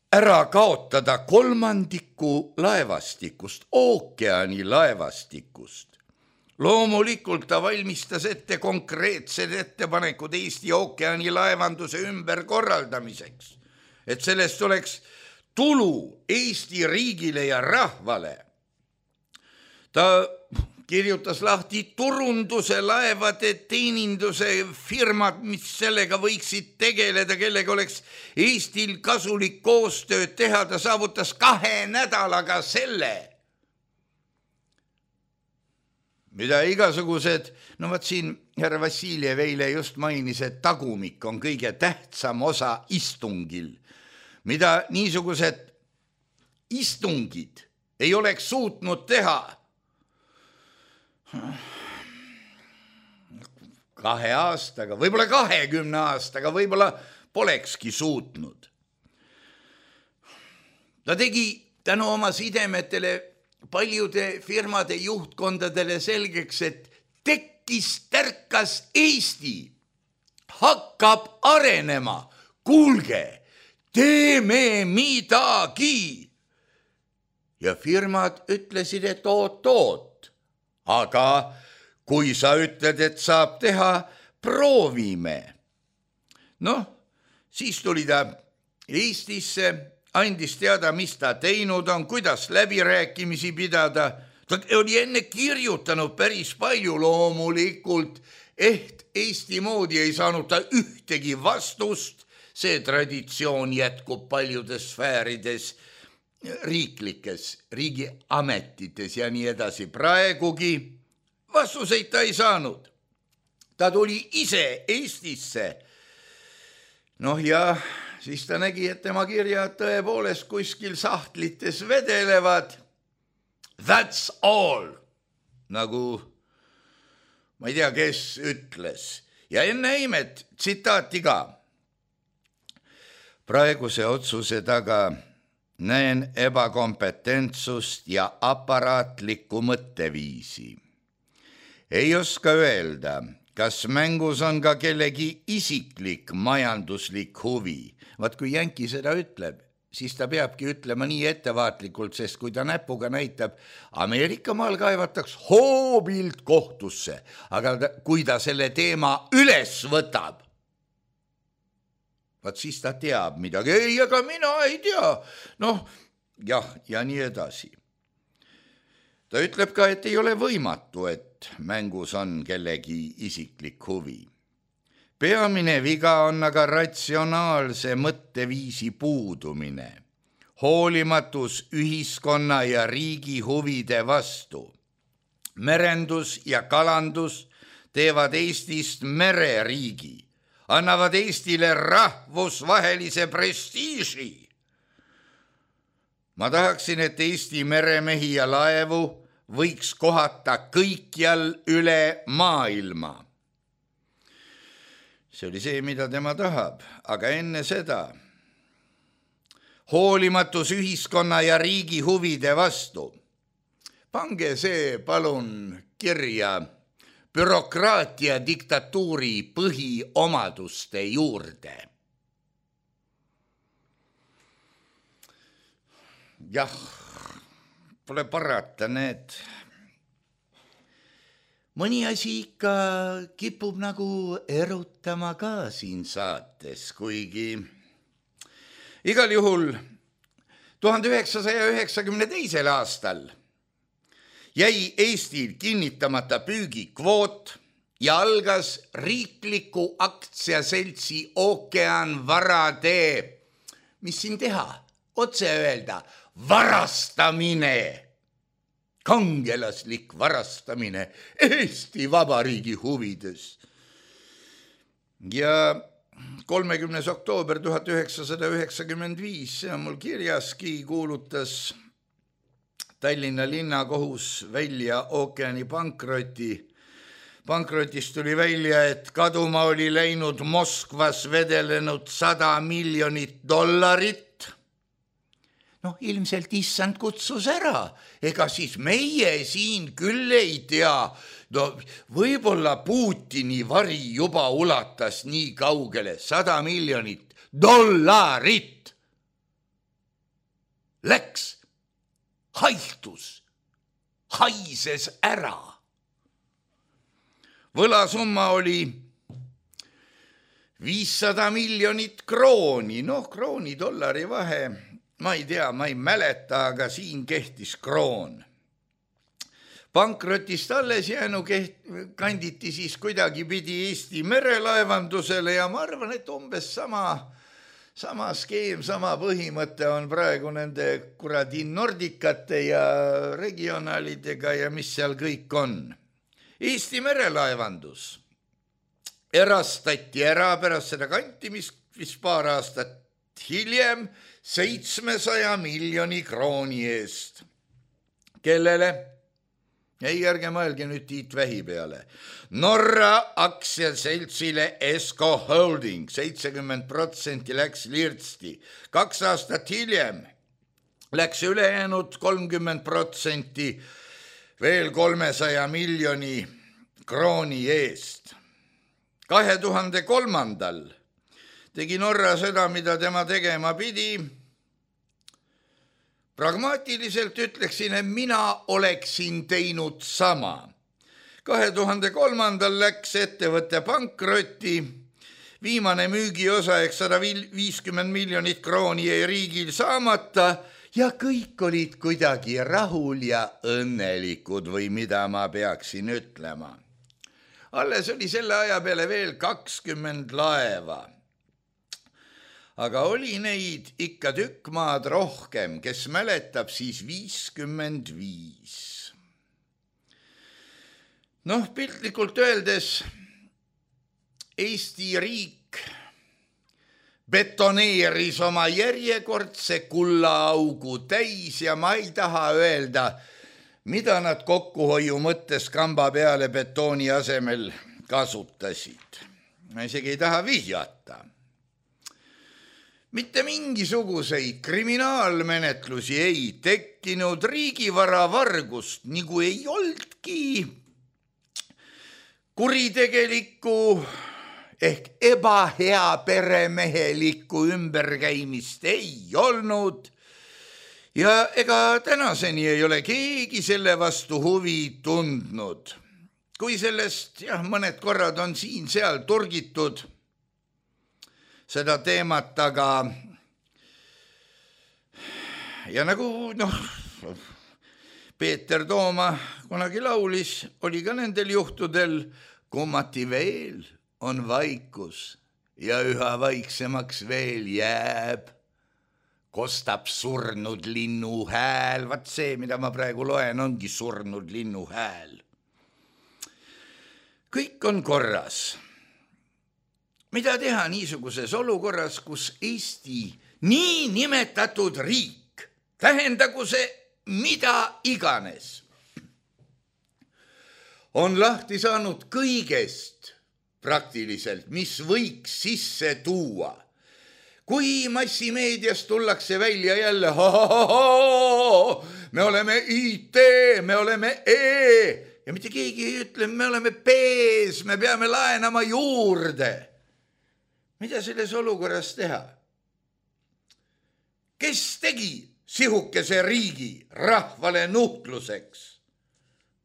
ära kaotada kolmandiku laevastikust, ookeani laevastikust. Loomulikult ta valmistas ette konkreetsed ettepanekud Eesti ookeani laevanduse ümberkorraldamiseks, et sellest oleks tulu Eesti riigile ja rahvale. Ta kirjutas lahti turunduse, laevade teeninduse firmad, mis sellega võiksid tegeleda, kellega oleks Eestil kasulik koostööd teha. Ta saavutas kahe nädalaga selle, mida igasugused, no vaat siin härra Vassiljev eile just mainis, et tagumik on kõige tähtsam osa istungil, mida niisugused istungid ei oleks suutnud teha kahe aastaga, võib-olla kahekümne aastaga, võib-olla polekski suutnud. Ta tegi tänu oma sidemetele paljude firmade juhtkondadele selgeks, et tekkis, tärkas Eesti, hakkab arenema. Kuulge, teeme midagi. Ja firmad ütlesid, et oot-oot. Aga kui sa ütled, et saab teha, proovime. Noh, siis tuli ta Eestisse, andis teada, mis ta teinud on, kuidas läbirääkimisi pidada. Ta oli enne kirjutanud päris palju loomulikult, et Eesti moodi ei saanud ta ühtegi vastust. See traditsioon jätkub paljudes sfäärides, riiklikes, riigiametites ja nii edasi. Praegugi vastuseid ta ei saanud. Ta tuli ise Eestisse. Noh ja siis ta nägi, et tema kirjad tõepoolest kuskil sahtlites vedelevad. That's all. Nagu ma ei tea, kes ütles. Ja enne imet tsitaati ka. Praeguse otsuse taga näen ebakompetentsust ja aparaatlikku mõtteviisi. Ei oska öelda, kas mängus on ka kellegi isiklik majanduslik huvi. Vaat kui Jänki seda ütleb, siis ta peabki ütlema nii ettevaatlikult, sest kui ta näpuga näitab, Ameerika maal kaevataks hoobilt kohtusse, aga ta, kui ta selle teema üles võtab, vaat siis ta teab midagi. Ei, aga mina ei tea. Noh, jah, ja nii edasi. Ta ütleb ka, et ei ole võimatu, et mängus on kellegi isiklik huvi. Peamine viga on aga ratsionaalse mõtteviisi puudumine, hoolimatus ühiskonna ja riigi huvide vastu. Merendus ja kalandus teevad Eestist mereriigi, annavad Eestile rahvusvahelise prestiiži. Ma tahaksin, et Eesti meremehi ja laevu võiks kohata kõikjal üle maailma. See oli see, mida tema tahab, aga enne seda hoolimatus ühiskonna ja riigi huvide vastu. Pange see palun kirja bürokraatia diktatuuri põhiomaduste juurde. Jah, pole parata, need. Mõni asi ikka kipub nagu erutama ka siin saates, kuigi igal juhul tuhande üheksasaja üheksakümne teisel aastal jäi Eestil kinnitamata püügikvoot ja algas riikliku aktsiaseltsi Ookean varade, mis siin teha, otse öelda, varastamine, kangelaslik varastamine Eesti Vabariigi huvides. Ja kolmekümnes oktoober tuhat üheksasada üheksakümmend viis, see on mul kirjaski, kuulutas Tallinna linnakohus välja ookeani pankroti. Pankrotist tuli välja, et kaduma oli läinud Moskvas vedelenud sada miljonit dollarit. Noh, ilmselt issand kutsus ära, ega siis meie siin küll ei tea. No, võib-olla Putini vari juba ulatas nii kaugele, sada miljonit dollarit. Läks, haihtus, haises ära. Võlasumma oli viissada miljonit krooni, noh, krooni dollari vahe, ma ei tea, ma ei mäleta, aga siin kehtis kroon. Pankrotist alles jäänu keht, kanditi siis kuidagi pidi Eesti merelaevandusele ja ma arvan, et umbes sama, sama skeem, sama põhimõte on praegu nende kuradi Nordicate ja regionaalidega ja mis seal kõik on. Eesti merelaevandus erastati ära pärast seda kantimist, mis paar aastat hiljem seitsmesaja miljoni krooni eest. Kellele? Ei, ärge mõelge nüüd Tiit Vähi peale. Norra aktsiaseltsile Esko Holding, seitsekümmend protsenti läks lirtsti. Kaks aastat hiljem läks ülejäänud kolmkümmend protsenti veel kolmesaja miljoni krooni eest. kahe tuhande kolmandal tegi Norra seda, mida tema tegema pidi. Pragmaatiliselt ütleksin, et mina oleksin teinud sama. kahe tuhande kolmandal läks ettevõtte pankrotti, viimane müügiosa ehk sada viiskümmend miljonit krooni jäi riigil saamata ja kõik olid kuidagi rahul ja õnnelikud või mida ma peaksin ütlema. Alles oli selle aja peale veel kakskümmend laeva. Aga oli neid ikka tükk maad rohkem, kes mäletab siis viiskümmend viis. Noh, piltlikult öeldes Eesti riik betoneeris oma järjekordse kullaaugu täis ja ma ei taha öelda, mida nad kokkuhoiu mõttes kamba peale betooni asemel kasutasid. Ma isegi ei taha vihjata. Mitte mingisuguseid kriminaalmenetlusi ei tekkinud, riigivara vargust nagu ei oldki. Kuritegelikku ehk ebahea peremehelikku ümberkäimist ei olnud ja ega tänaseni ei ole keegi selle vastu huvi tundnud. Kui sellest jah, mõned korrad on siin-seal turgitud seda teemat, aga ja nagu noh, Peeter Tooma kunagi laulis, oli ka nendel juhtudel kummati veel on vaikus ja üha vaiksemaks veel jääb. Kostab surnud linnu hääl. Vaat see, mida ma praegu loen, ongi surnud linnu hääl. Kõik on korras. Mida teha niisuguses olukorras, kus Eesti nii nimetatud riik, tähendagu see mida iganes, on lahti saanud kõigest praktiliselt, mis võiks sisse tuua. Kui massimeedias tullakse välja jälle, me oleme I T, me oleme E ja mitte keegi ei ütle, me oleme P-s, me peame laenama juurde. Mida selles olukorras teha? Kes tegi sihukese riigi rahvale nuhtluseks?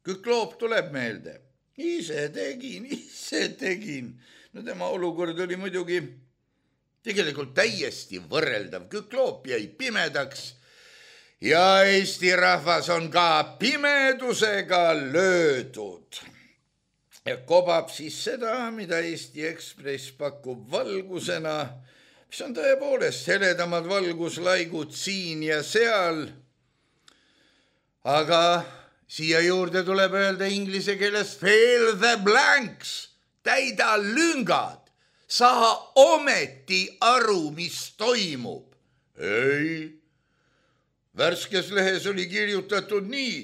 Kükloob tuleb meelde. Ise tegin, ise tegin. No tema olukord oli muidugi tegelikult täiesti võrreldav. Kükloop jäi pimedaks ja Eesti rahvas on ka pimedusega löödud. Ja kobab siis seda, mida Eesti Ekspress pakub valgusena, mis on tõepoolest heledamad valguslaigud siin ja seal. aga siia juurde tuleb öelda inglise keeles fill the blanks, täida lüngad, saa ometi aru, mis toimub. Ei, värskes lehes oli kirjutatud nii,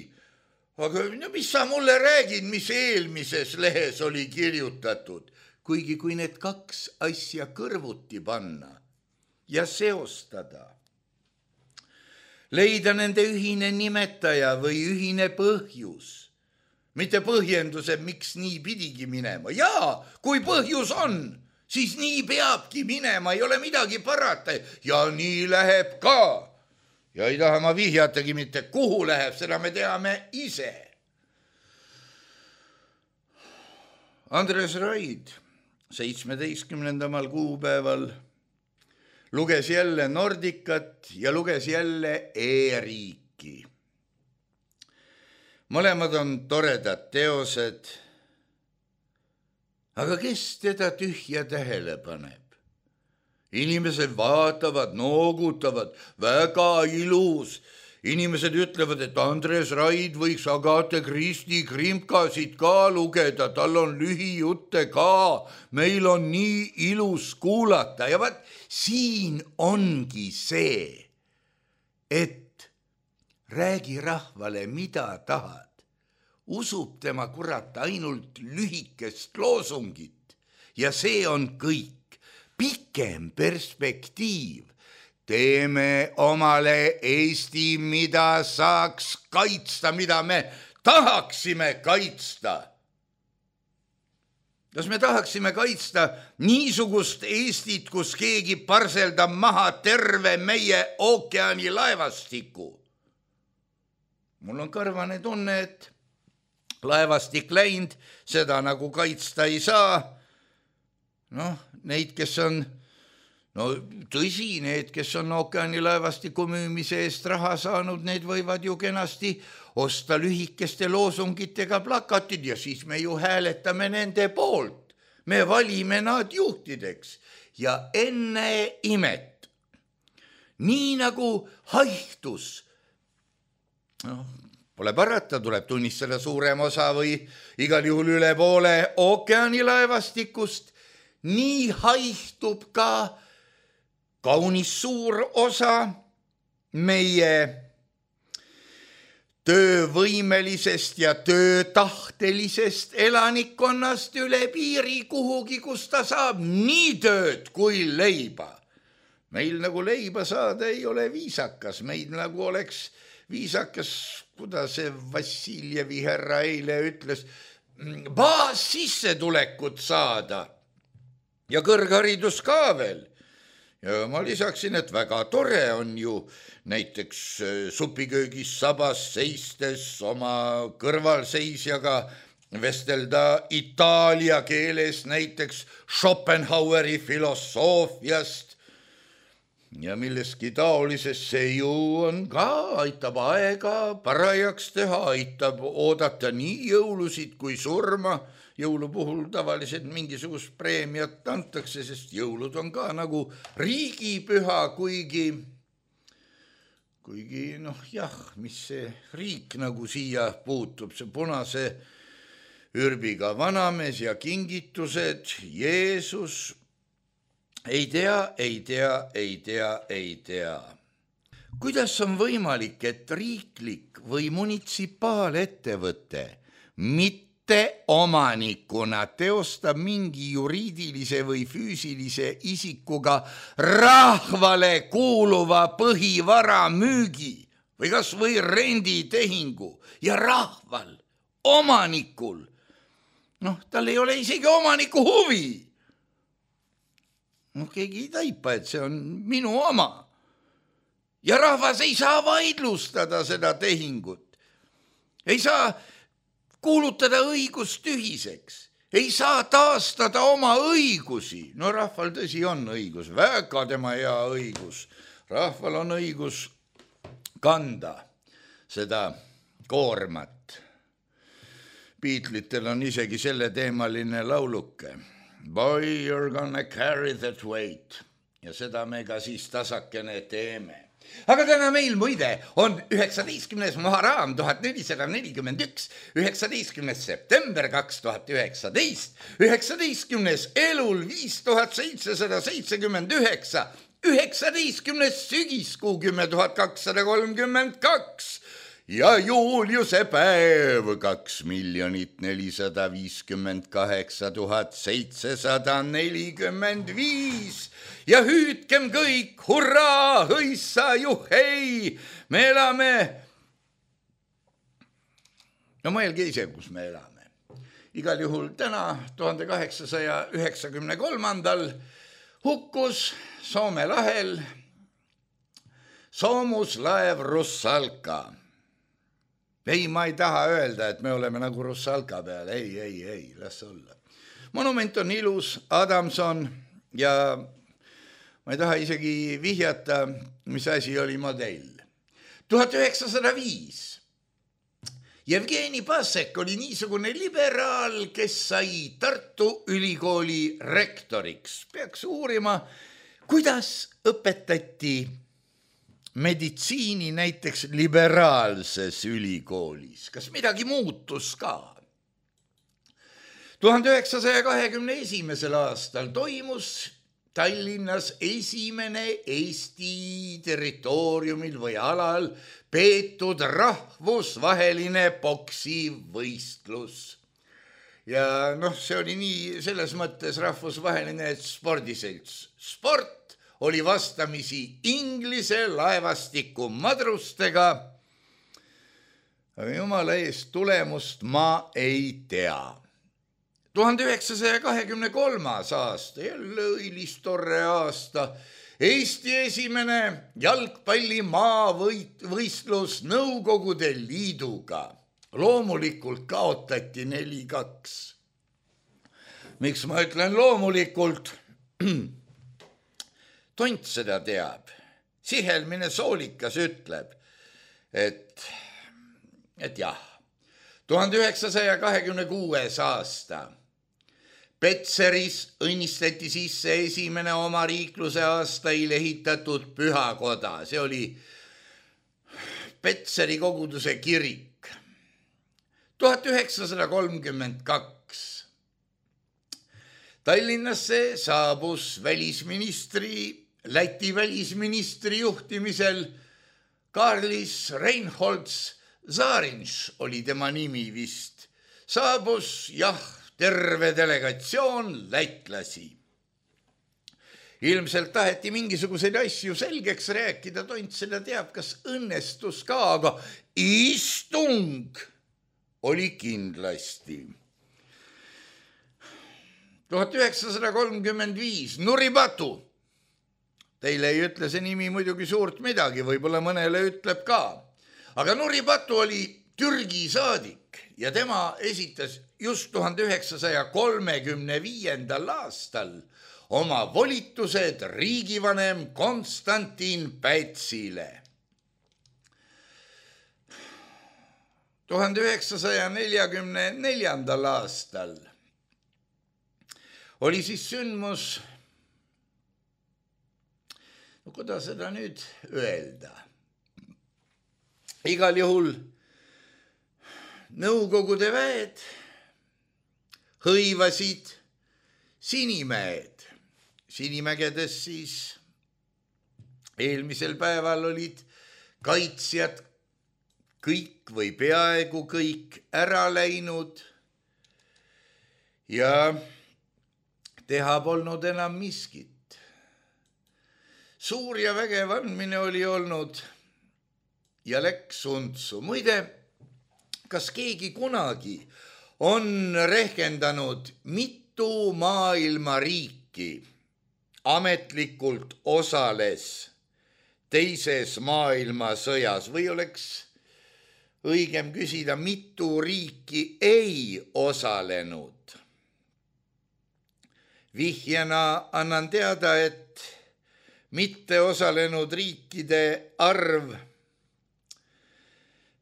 aga no mis sa mulle räägid, mis eelmises lehes oli kirjutatud, kuigi kui need kaks asja kõrvuti panna ja seostada, leida nende ühine nimetaja või ühine põhjus, mitte põhjendused, miks nii pidigi minema. Jaa, kui põhjus on, siis nii peabki minema, ei ole midagi parata ja nii läheb ka. Ja ei taha ma vihjatagi mitte, kuhu läheb, seda me teame ise. Andres Raid seitsmeteistkümnendamal kuupäeval luges jälle Nordicat ja luges jälle E-riiki. Mõlemad on toredad teosed, aga kes teda tühja tähele paneb? Inimesed vaatavad, noogutavad, väga ilus. Inimesed ütlevad, et Andres Raid võiks Agathe Christie krimkasid ka lugeda, tal on lühijutte ka, meil on nii ilus kuulata. Ja vaat siin ongi see, et räägi rahvale, mida tahad. Usub tema kurat ainult lühikest loosungit ja see on kõik. Pikem perspektiiv. Teeme omale Eesti, mida saaks kaitsta, mida me tahaksime kaitsta. Kas me tahaksime kaitsta niisugust Eestit, kus keegi parseldab maha terve meie ookeani laevastiku? Mul on karvane tunne, et laevastik läinud, seda nagu kaitsta ei saa. Noh, neid, kes on, no tõsi, need, kes on ookeani laevastiku müümise eest raha saanud, need võivad ju kenasti osta lühikeste loosungitega plakatid ja siis me ju hääletame nende poolt. Me valime nad juhtideks ja enne imet. Nii nagu haihtus. No, pole parata, tuleb tunnistada suurem osa või igal juhul üle poole ookeani laevastikust. Nii haihtub ka kaunis suur osa meie töövõimelisest ja töötahtelisest elanikkonnast üle piiri kuhugi, kus ta saab nii tööd kui leiba. Meil nagu leiba saada ei ole viisakas, meid nagu oleks viisakas, kuidas see Vassiljevi härra eile ütles, baas sissetulekut saada. Ja kõrgharidus ka veel. Ja ma lisaksin, et väga tore on ju näiteks supiköögis sabas seistes oma kõrvalseisjaga vestelda itaalia keeles näiteks Schopenhaueri filosoofiast ja milleski taolisest see ju on ka, aitab aega parajaks teha, aitab oodata nii jõulusid kui surma. Jõulu puhul tavaliselt mingisugust preemiat antakse, sest jõulud on ka nagu riigipüha, kuigi, kuigi noh jah, mis see riik nagu siia puutub, see punase ürbiga vanamees ja kingitused, Jeesus, ei tea, ei tea, ei tea, ei tea. Kuidas on võimalik, et riiklik või munitsipaalettevõte mitte omanikuna teostab mingi juriidilise või füüsilise isikuga rahvale kuuluva põhivara müügi või kas või renditehingu ja rahval, omanikul, noh, tal ei ole isegi omaniku huvi. Noh, keegi ei taipa, et see on minu oma. Ja rahvas ei saa vaidlustada seda tehingut. Ei saa kuulutada õigust tühiseks, ei saa taastada oma õigusi. No rahval tõsi on õigus, väga tema hea õigus. Rahval on õigus kanda seda koormat. Beatlitel on isegi selle teemaline lauluke. Boy, you're gonna carry that weight. Ja seda me ka siis tasakene teeme. aga täna meil muide on üheksateistkümnes Muharram tuhat nelisada nelikümmend üks, üheksateistkümnes september kaks tuhat üheksateist, üheksateistkümnes Elul viis tuhat seitsesada seitsekümmend üheksa, üheksateistkümnes sügiskuu kümme tuhat kakssada kolmkümmend kaks ja Juuliuse päev kaks miljonit nelisada viiskümmend kaheksa tuhat seitsesada nelikümmend viis ja hüüdkem kõik, hurraa, hõissa, juhhei, me elame. No mõelge ise, kus me elame. Igal juhul täna tuhande kaheksasaja üheksakümne kolmandal hukkus Soome lahel soomuslaev Russalka. Ei, ma ei taha öelda, et me oleme nagu Russalka peal. Ei, ei, ei, las olla. Monument on ilus, Adamson ja ma ei taha isegi vihjata, mis asi oli modell. tuhat üheksasada viis. Jevgeni Pasek oli niisugune liberaal, kes sai Tartu Ülikooli rektoriks. Peaks uurima, kuidas õpetati meditsiini näiteks liberaalses ülikoolis. Kas midagi muutus ka? tuhande üheksasaja kahekümne esimesel aastal toimus Tallinnas esimene Eesti territooriumil või alal peetud rahvusvaheline poksivõistlus. Ja noh, see oli nii selles mõttes rahvusvaheline, et spordiselts. Sport oli vastamisi Inglise laevastiku madrustega. Aga jumala eest tulemust ma ei tea. tuhande üheksasaja kahekümne kolmas aasta, jälle õilis torre aasta, Eesti esimene jalgpalli maavõistlus Nõukogude Liiduga. Loomulikult kaotati neli kaks. Miks ma ütlen loomulikult? Tont seda teab. Sihelmine soolikas ütleb, et, et jah, tuhande üheksasaja kahekümne kuues aasta Petseris õnnistati sisse esimene oma riikluse aastail ehitatud pühakoda. See oli Petseri koguduse kirik. tuhat üheksasada kolmkümmend kaks. Tallinnasse saabus välisministri, Läti välisministri juhtimisel Karlis Reinholds Zarinš oli tema nimi vist. Saabus, jah, terve delegatsioon lätlasi. Ilmselt taheti mingisuguseid asju selgeks rääkida, Tont seda teab, kas õnnestus ka, aga istung oli kindlasti. tuhat üheksasada kolmkümmend viis, Nuripatu. Teile ei ütle see nimi muidugi suurt midagi, võib-olla mõnele ütleb ka. Aga Nuripatu oli Türgi saadik ja tema esitas just tuhande üheksasaja kolmekümne viiendal aastal oma volitused riigivanem Konstantin Pätsile. tuhande üheksasaja neljakümne neljandal aastal oli siis sündmus, no kuidas seda nüüd öelda? Igal juhul Nõukogude väed hõivasid Sinimäed. Sinimägedes siis eelmisel päeval olid kaitsjad kõik või peaaegu kõik ära läinud ja teha polnud enam miskit. Suur ja vägev andmine oli olnud ja läks untsu. Muide, kas keegi kunagi on rehkendanud, mitu maailma riiki ametlikult osales teises maailmasõjas või oleks õigem küsida, mitu riiki ei osalenud? Vihjena annan teada, et mitte osalenud riikide arv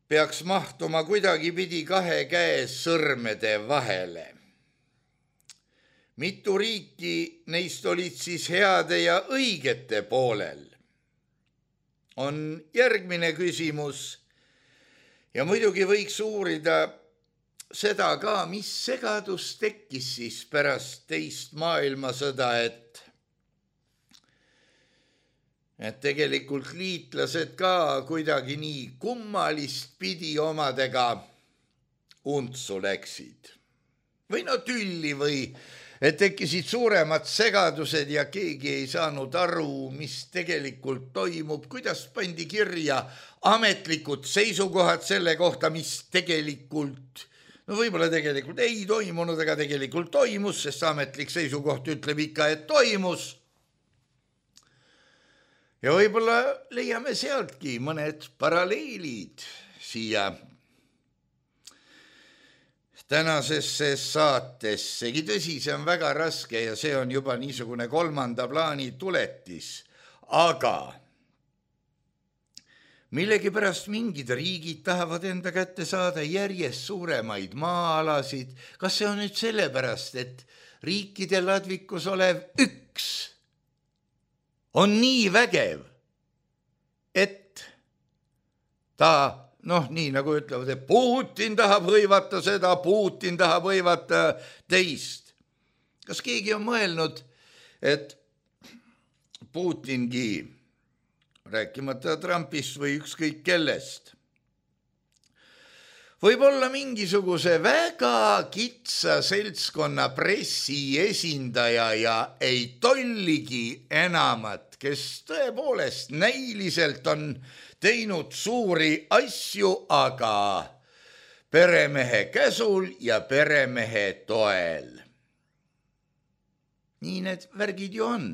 peaks mahtuma kuidagipidi kahe käe sõrmede vahele. Mitu riiki neist olid siis heade ja õigete poolel? on järgmine küsimus ja muidugi võiks uurida seda ka, mis segadus tekkis siis pärast teist maailmasõda, et et tegelikult liitlased ka kuidagi nii kummalist pidi omadega untsu läksid. Või no tülli või et tekkisid suuremad segadused ja keegi ei saanud aru, mis tegelikult toimub, kuidas pandi kirja ametlikud seisukohad selle kohta, mis tegelikult, no võib-olla tegelikult ei toimunud, aga tegelikult toimus, sest ametlik seisukoht ütleb ikka, et toimus. Ja võib-olla leiame sealtki mõned paralleelid siia tänasesse saatessegi. Tõsi, see on väga raske ja see on juba niisugune kolmanda plaani tuletis, aga millegipärast mingid riigid tahavad enda kätte saada järjest suuremaid maa-alasid. Kas see on nüüd sellepärast, et riikide ladvikus olev üks on nii vägev, et ta, noh, nii nagu ütlevad, et Putin tahab hõivata seda, Putin tahab hõivata teist. Kas keegi on mõelnud, et Putingi, rääkimata Trumpist või ükskõik kellest, võib-olla mingisuguse väga kitsa seltskonna pressi esindaja ja ei tolligi enamat, kes tõepoolest näiliselt on teinud suuri asju, aga peremehe käsul ja peremehe toel. Nii need värgid ju on.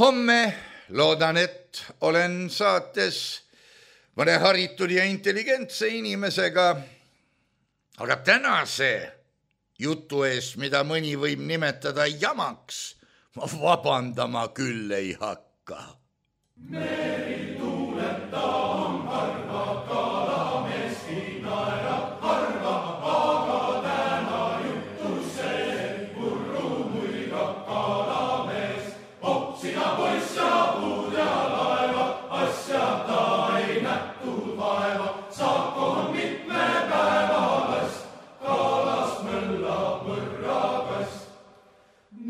Homme loodan, et olen saates mõne haritud ja intelligentse inimesega, aga tänase jutu eest, mida mõni võib nimetada jamaks, ma vabandama küll ei hakka. Meri tuuleb, ta on harva, kalameski naerab harva, aga täna jutus see, purru muigab kalamees, popsina poiss ja puud ja laeva, asja ta ei nähtud vaeva, saako on mitme päevalast, kalast möllab mõrrakast.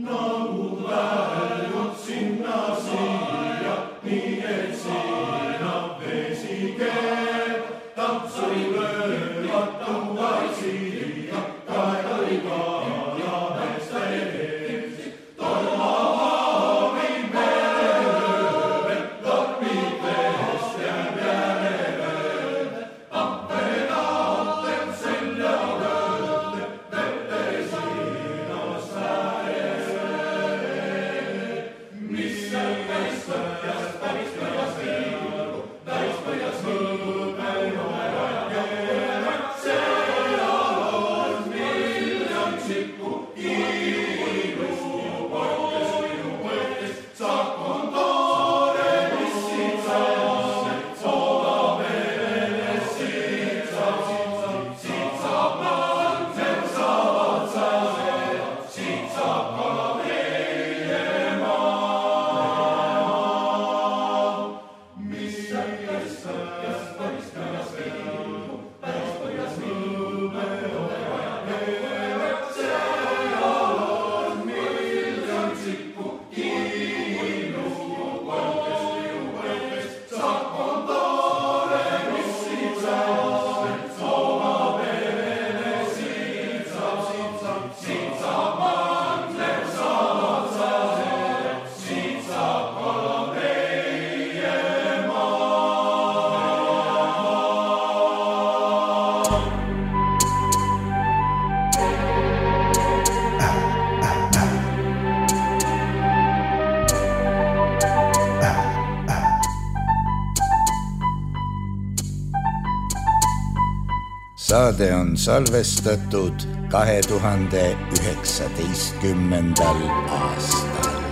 Nagu väljud sinna siia, nii et siina vesi keeb, tampsuri löövad tuuaid siia, kaedari kalamees teeb. Tormavaami merelööve, tormid veest jääb järele, ampenaten selja lööde, vette siinas äärele. Mis seal päris põhjas, päris põhjas viigu, päris põhjas viigu, päinu ärakeerad, seal on miljon tsikku, iilu poites, iilu poites, saak on toore, mis siin saab, soova merele siit saab, siit saab mandel saavad saada, siit saab kala meie maa. Mis seal päris põhjas, päris põhjas viigu, päris põhjas viigu, päinu ärakeerad, seal on miljon tsikku, iilu poites, iilu poites, saak on toore, mis siin saab, soova merele siit saab, siit saab mandel saavad saada, siit saab kala meie maa. Saade on salvestatud kahe tuhande üheksateistkümnendal aastal.